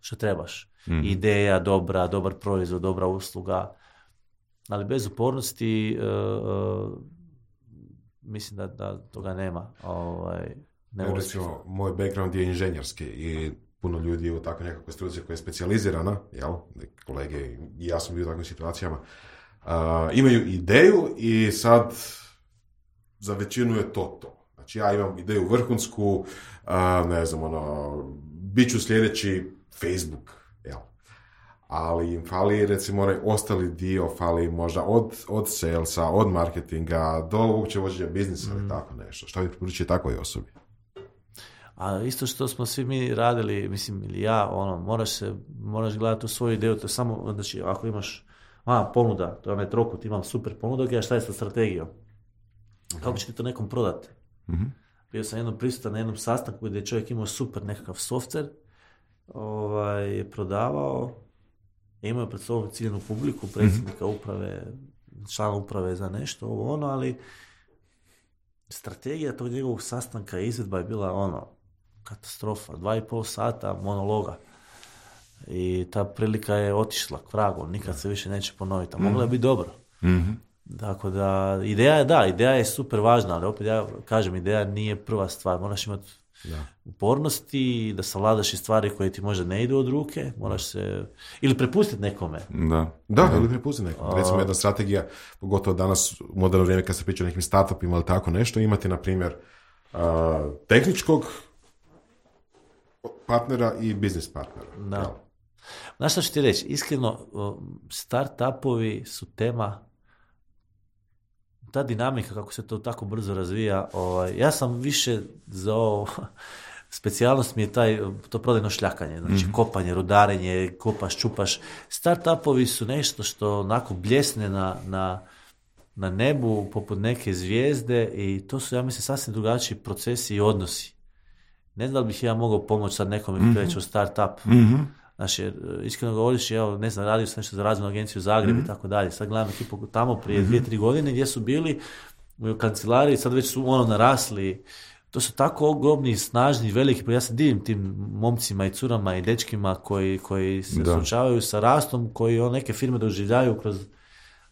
što trebaš. Mm. Ideja, dobra, dobar proizvod, dobra usluga, ali bez upornosti uh, uh, mislim da, da toga nema. Ovaj, ne ja, recimo, moj background je inženjerski i puno ljudi je u takvoj nekakvoj struci koja je specijalizirana, jel? Kolege i ja sam bio u takvim situacijama, uh, imaju ideju i sad za većinu je to to. Znači ja imam ideju vrhunsku, uh, ne znam, ono, bit ću sljedeći Facebook, jel? Ali im fali, recimo, onaj ostali dio, fali možda od, od salesa, od marketinga, do uopće vođenja biznisa ili mm. tako nešto. Što bi preporučio takvoj osobi? A isto što smo svi mi radili, mislim, ili ja, ono, moraš se, moraš gledati u svoju ideju, to je samo, znači, ako imaš, a, ponuda, to je onaj trokut, imam super ponudu, a šta je sa strategijom? Mm-hmm. Kako će ti to nekom prodati? Mm-hmm. Bio sam jednom prisutan na jednom sastanku gdje je čovjek imao super nekakav softver, ovaj, je prodavao, imao je pred sobom ciljenu publiku, predsjednika mm-hmm. uprave, člana uprave za nešto, ovo ono, ali strategija tog njegovog sastanka i izvedba je bila ono, katastrofa, dva i pol sata monologa. I ta prilika je otišla k vragu, nikad se više neće ponoviti, a mogla je biti dobro. Mm-hmm. Tako da, ideja je da, ideja je super važna, ali opet ja kažem, ideja nije prva stvar, moraš imati da. upornosti, da savladaš i stvari koje ti možda ne idu od ruke, moraš se, ili prepustiti nekome. Da, da, ili prepustiti nekome. Recimo jedna strategija, pogotovo danas u moderno vrijeme kad se priča o nekim startupima ili tako nešto, imati, na primjer, uh, tehničkog partnera i biznis partnera. Da. Znaš što ću ti reći, iskreno, startupovi su tema, ta dinamika kako se to tako brzo razvija, ovaj, ja sam više za ovo, specijalnost mi je taj, to prodajno šljakanje, znači mm-hmm. kopanje, rudarenje, kopaš, čupaš. Startupovi su nešto što onako bljesne na, na, na nebu poput neke zvijezde i to su, ja mislim, sasvim drugačiji procesi i odnosi. Ne znam da li bih ja mogao pomoći sad nekome mm-hmm. kreći u startup. Mm-hmm. Znači, iskreno govoriš, evo, ne znam, radio sam nešto za razvojnu agenciju Zagreb mm-hmm. i tako dalje. Sad gledam ekipu tamo prije mm-hmm. dvije, tri godine gdje su bili u kancelariji, sad već su ono narasli. To su tako ogromni, snažni, veliki, pa ja se divim tim momcima i curama i dečkima koji, koji se da. suočavaju sa rastom, koji on neke firme doživljaju kroz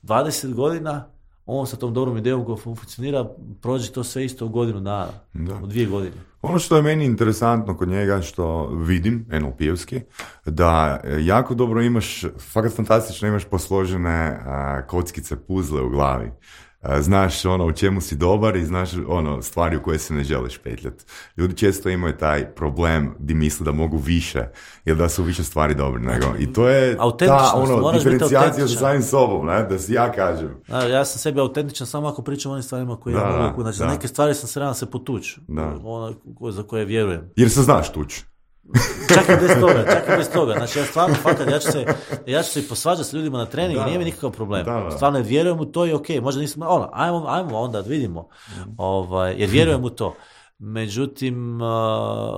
dvadeset godina, on sa tom dobrom idejom koja funkcionira, prođe to sve isto u godinu dana, da. u dvije godine. Ono što je meni interesantno kod njega, što vidim, en el pe-ovski, da jako dobro imaš, fakat fantastično imaš posložene uh, kockice, puzle u glavi. Uh, znaš ono u čemu si dobar i znaš ono stvari u koje se ne želiš petljati. Ljudi često imaju taj problem di misle da mogu više ili da su više stvari dobri nego. I to je ta ono, diferencijacija sa samim sobom, ne? Da si ja kažem. Da, ja sam sebi autentičan samo ako pričam o onim stvarima koje da, ja mogu. Znači, za neke stvari sam se rano se potući. Ono za koje vjerujem. Jer se znaš tući. Čak i bez toga, čak i bez toga. Znači, ja stvarno, fakat, ja ću se, ja ću se i posvađati s ljudima na treningu, nije mi nikakav problem. Da, da. Stvarno, vjerujem u to i ok, možda nisam, ono, ajmo, ajmo onda, vidimo, mm. ovaj, jer vjerujem u to. Međutim,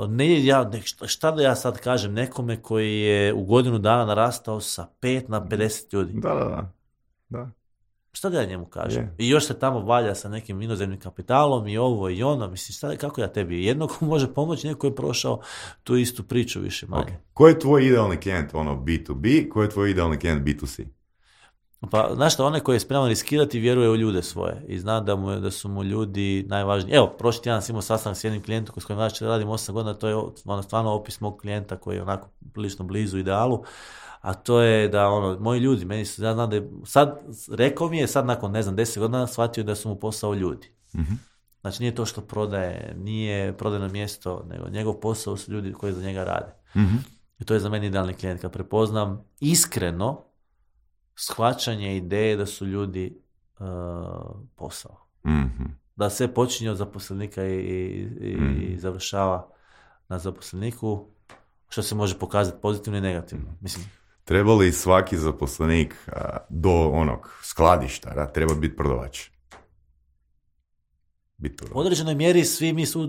ne, ja, šta da ja sad kažem nekome koji je u godinu dana narastao sa pet na pedeset ljudi? Da, da, da. da. Šta da ja njemu kažem? Yeah. I još se tamo valja sa nekim inozemnim kapitalom i ovo i ono. Mislim, šta, kako ja tebi? Jedno ko može pomoći, neko je prošao tu istu priču više manje. Okay. Ko je tvoj idealni klijent, ono B to B? Ko je tvoj idealni klijent B to C? Pa, znaš šta, onaj koji je spreman riskirati vjeruje u ljude svoje i zna da, mu, da su mu ljudi najvažniji. Evo, prošli tjedan sam imao sastanak s jednim klijentom s kojim znači radim osam godina, to je ono, stvarno opis mog klijenta koji je onako prilično blizu idealu, a to je da ono, moji ljudi, meni su, ja znam da je, sad, rekao mi je sad nakon, ne znam, deset godina shvatio da su mu posao ljudi. Mm-hmm. Znači nije to što prodaje, nije prodajno mjesto, nego njegov posao su ljudi koji za njega rade. Mm-hmm. I to je za meni idealni klijent, kad prepoznam iskreno shvaćanje ideje da su ljudi uh, posao. Mm-hmm. Da sve počinje od zaposlenika i, i, mm-hmm. i završava na zaposleniku, što se može pokazati pozitivno i negativno. Mislim, treba li svaki zaposlenik uh, do onog skladištara treba biti prodavač? U određenoj mjeri svi mi su u,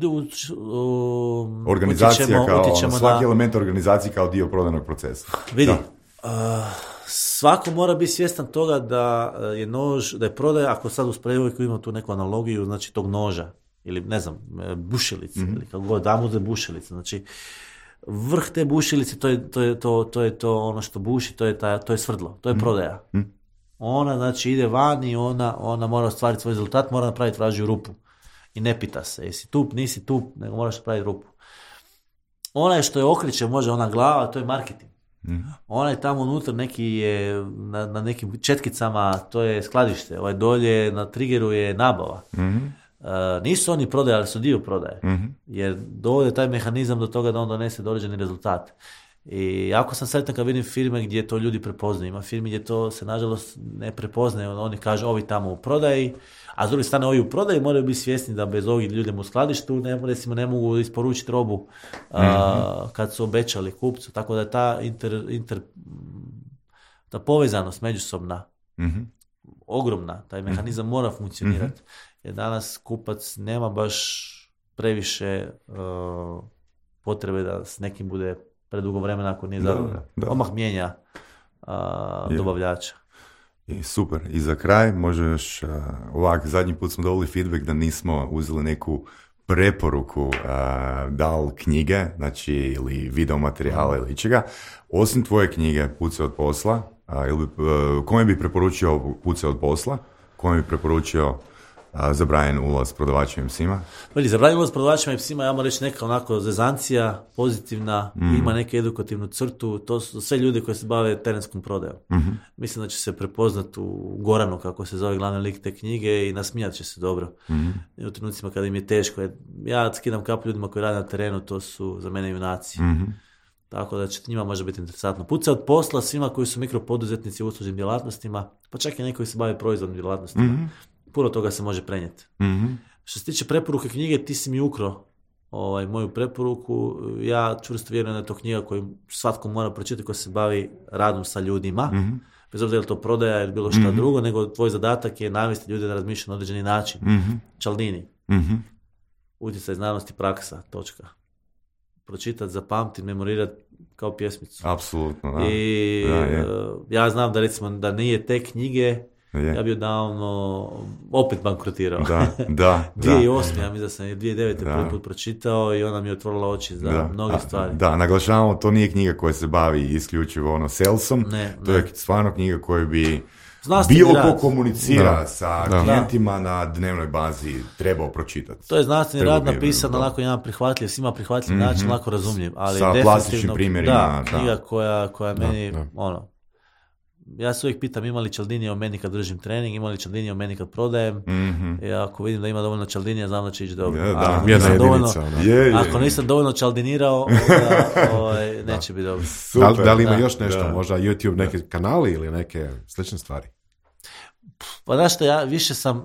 u, organizacija utječemo, kao, utječemo svaki na... element organizacije kao dio prodajnog procesa. Vidi, uh, svako mora biti svjestan toga da je nož, da je prodaja, ako sad u sprejevojku imamo tu neku analogiju, znači tog noža, ili ne znam, bušilice, mm-hmm. ili kako god, damo za bušilice, znači vrh te bušilice, to je to, je to, to, je to ono što buši, to je, ta, to je svrdlo, to je mm-hmm. prodaja. Mm-hmm. Ona, znači, ide van i ona, ona mora ostvariti svoj rezultat, mora napraviti vražju rupu. I ne pita se, jesi tup, nisi tup, nego moraš napraviti rupu. Onaj što je okreće, može ona glava, to je marketing. Mm-hmm. Onaj tamo unutra neki je, na, na nekim četkicama, to je skladište, ovaj dolje na triggeru je nabava. Mm-hmm. Uh, nisu oni prodaje, ali su dio prodaje. Mm-hmm. Jer dovode taj mehanizam do toga da on donese određeni rezultat. I jako sam sretan kad vidim firme gdje to ljudi prepoznaju. Ima firmi gdje to se nažalost ne prepoznaje. Oni kažu ovi tamo u prodaji, a s druge strane ovi u prodaji moraju biti svjesni da bez ovih ljudima u skladištu ne, recimo, ne mogu isporučiti robu mm-hmm. a, kad su obećali kupcu. Tako da je ta, inter, inter, ta povezanost međusobna mm-hmm. ogromna. Taj mehanizam mm-hmm. mora funkcionirati. Mm-hmm. Jer danas kupac nema baš previše uh, potrebe da s nekim bude predugo vremena ako nije zadovoljan. Omah mijenja a, dobavljača. I super. I za kraj, možeš, uh, ovak, zadnji put smo dobili feedback da nismo uzeli neku preporuku, uh, da li knjige, znači, ili video materijale ili čega. Osim tvoje knjige Pucaj od posla, uh, ili, uh, kome bi preporučio Pucaj od posla? Kome bi preporučio a, zabranjen ulaz prodavačima i psima? Veli, zabranjen ulaz prodavačima i psima, ja moram reći neka onako zezancija, pozitivna, mm. ima neku edukativnu crtu, to su sve ljudi koji se bave terenskom prodajom. Mm-hmm. Mislim da će se prepoznati u Goranu, kako se zove glavni lik te knjige, i nasmijat će se dobro. Mm-hmm. I u trenucima kada im je teško. Ja skidam kapu ljudima koji rade na terenu, to su za mene junaci. Mm-hmm. Tako da će njima može biti interesantno. Pucaj od posla svima koji su mikropoduzetnici u uslužnim djelatnostima, pa čak i neki koji se bave proizvodnim djelatnostima. Mm-hmm. Puno toga se može prenijeti. Mm-hmm. Što se tiče preporuke knjige, ti si mi ukro ovaj, moju preporuku. Ja čvrsto vjerujem da je to knjiga koju svatko mora pročitati ko se bavi radom sa ljudima. Mm-hmm. Bez obzira je to prodaja ili bilo šta mm-hmm. drugo, nego tvoj zadatak je navesti ljude da razmišljaju na određeni način. Mm-hmm. Cialdini. Mm-hmm. Utjecaj znanosti, praksa, točka. Pročitati, zapamtiti, memorirati kao pjesmicu. Apsolutno, da. I da, je. ja znam da recimo da nije te knjige, je. Ja bi odavno opet bankrotirao. Da, da. dvije tisuće osme, ja mislim da sam je dvije tisuće devete da. prvi put pročitao i ona mi je otvorila oči za da. mnoge A, stvari. Da, naglašavamo, to nije knjiga koja se bavi isključivo ono salesom, ne, to ne. je stvarno knjiga koju bi znanstveni bilo rad. ko komunicira da. sa da. klijentima na dnevnoj bazi trebao pročitati. To je znanstveni rad napisan na lako jedan prihvatljiv, svima prihvatljiv mm-hmm. način, lako razumljiv, ali sa plastičnim primjerima. Da, knjiga da. koja, koja da. meni, da. ono, ja se uvijek pitam ima li Cialdini o meni kad držim trening, ima li Cialdini o meni kad prodajem. Mm-hmm. I ako vidim da ima dovoljno Cialdinija, znam da će ići dobro. Ja, da, ako, nisam dovoljno, je, je. ako nisam dovoljno Cialdinirao, onda ovaj, neće biti dobro. Da, da li ima da, još nešto, da. možda YouTube, neke kanali ili neke slične stvari? Pa znaš što, ja više sam,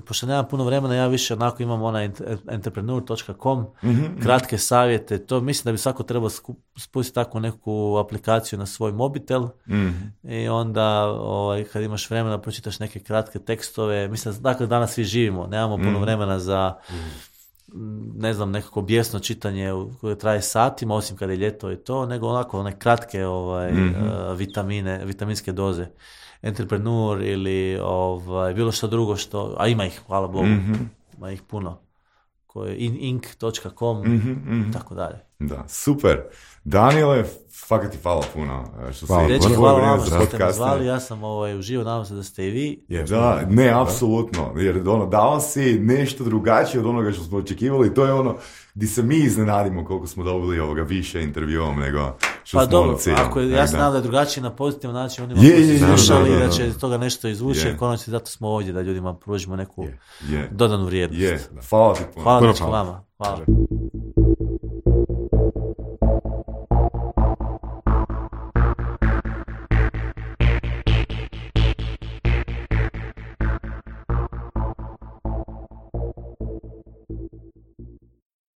pošto nemam puno vremena, ja više onako imam onaj entrepreneur dot com, mm-hmm. kratke savjete, to mislim da bi svako trebao spustiti takvu neku aplikaciju na svoj mobitel mm-hmm. i onda ovaj, kad imaš vremena pročitaš neke kratke tekstove, mislim, dakle danas svi živimo, nemamo puno mm-hmm. vremena za ne znam, nekako bijesno čitanje koje traje satima, osim kad je ljeto i to, nego onako one kratke ovaj, mm-hmm. uh, vitamine, vitaminske doze. Entrepreneur ili ovaj, bilo što drugo što, a ima ih, hvala Bogu, mm-hmm. ima ih puno, koje in, ink dot com, mm-hmm, mm-hmm. tako dalje. Da, super. Daniele, fakat ti hvala puno što hvala, si reći, hvala vam što ste me zvali, ja sam ovaj, uživo, nadam se da ste i vi. Yes, da, ne, apsolutno, jer ono, dao si nešto drugačije od onoga što smo očekivali, to je ono gdje se mi iznenadimo koliko smo dobili ovoga više intervjuom nego što pa smo dobro, ono ako je, ja se nadam da je drugačije na pozitivan način onima koji su slušali da, da će toga nešto izvući, jer konačno zato smo ovdje da ljudima pružimo neku yeah. Yeah. dodanu vrijednost. Yeah. Hvala ti puno. Hvala, hvala. Vama. Hvala.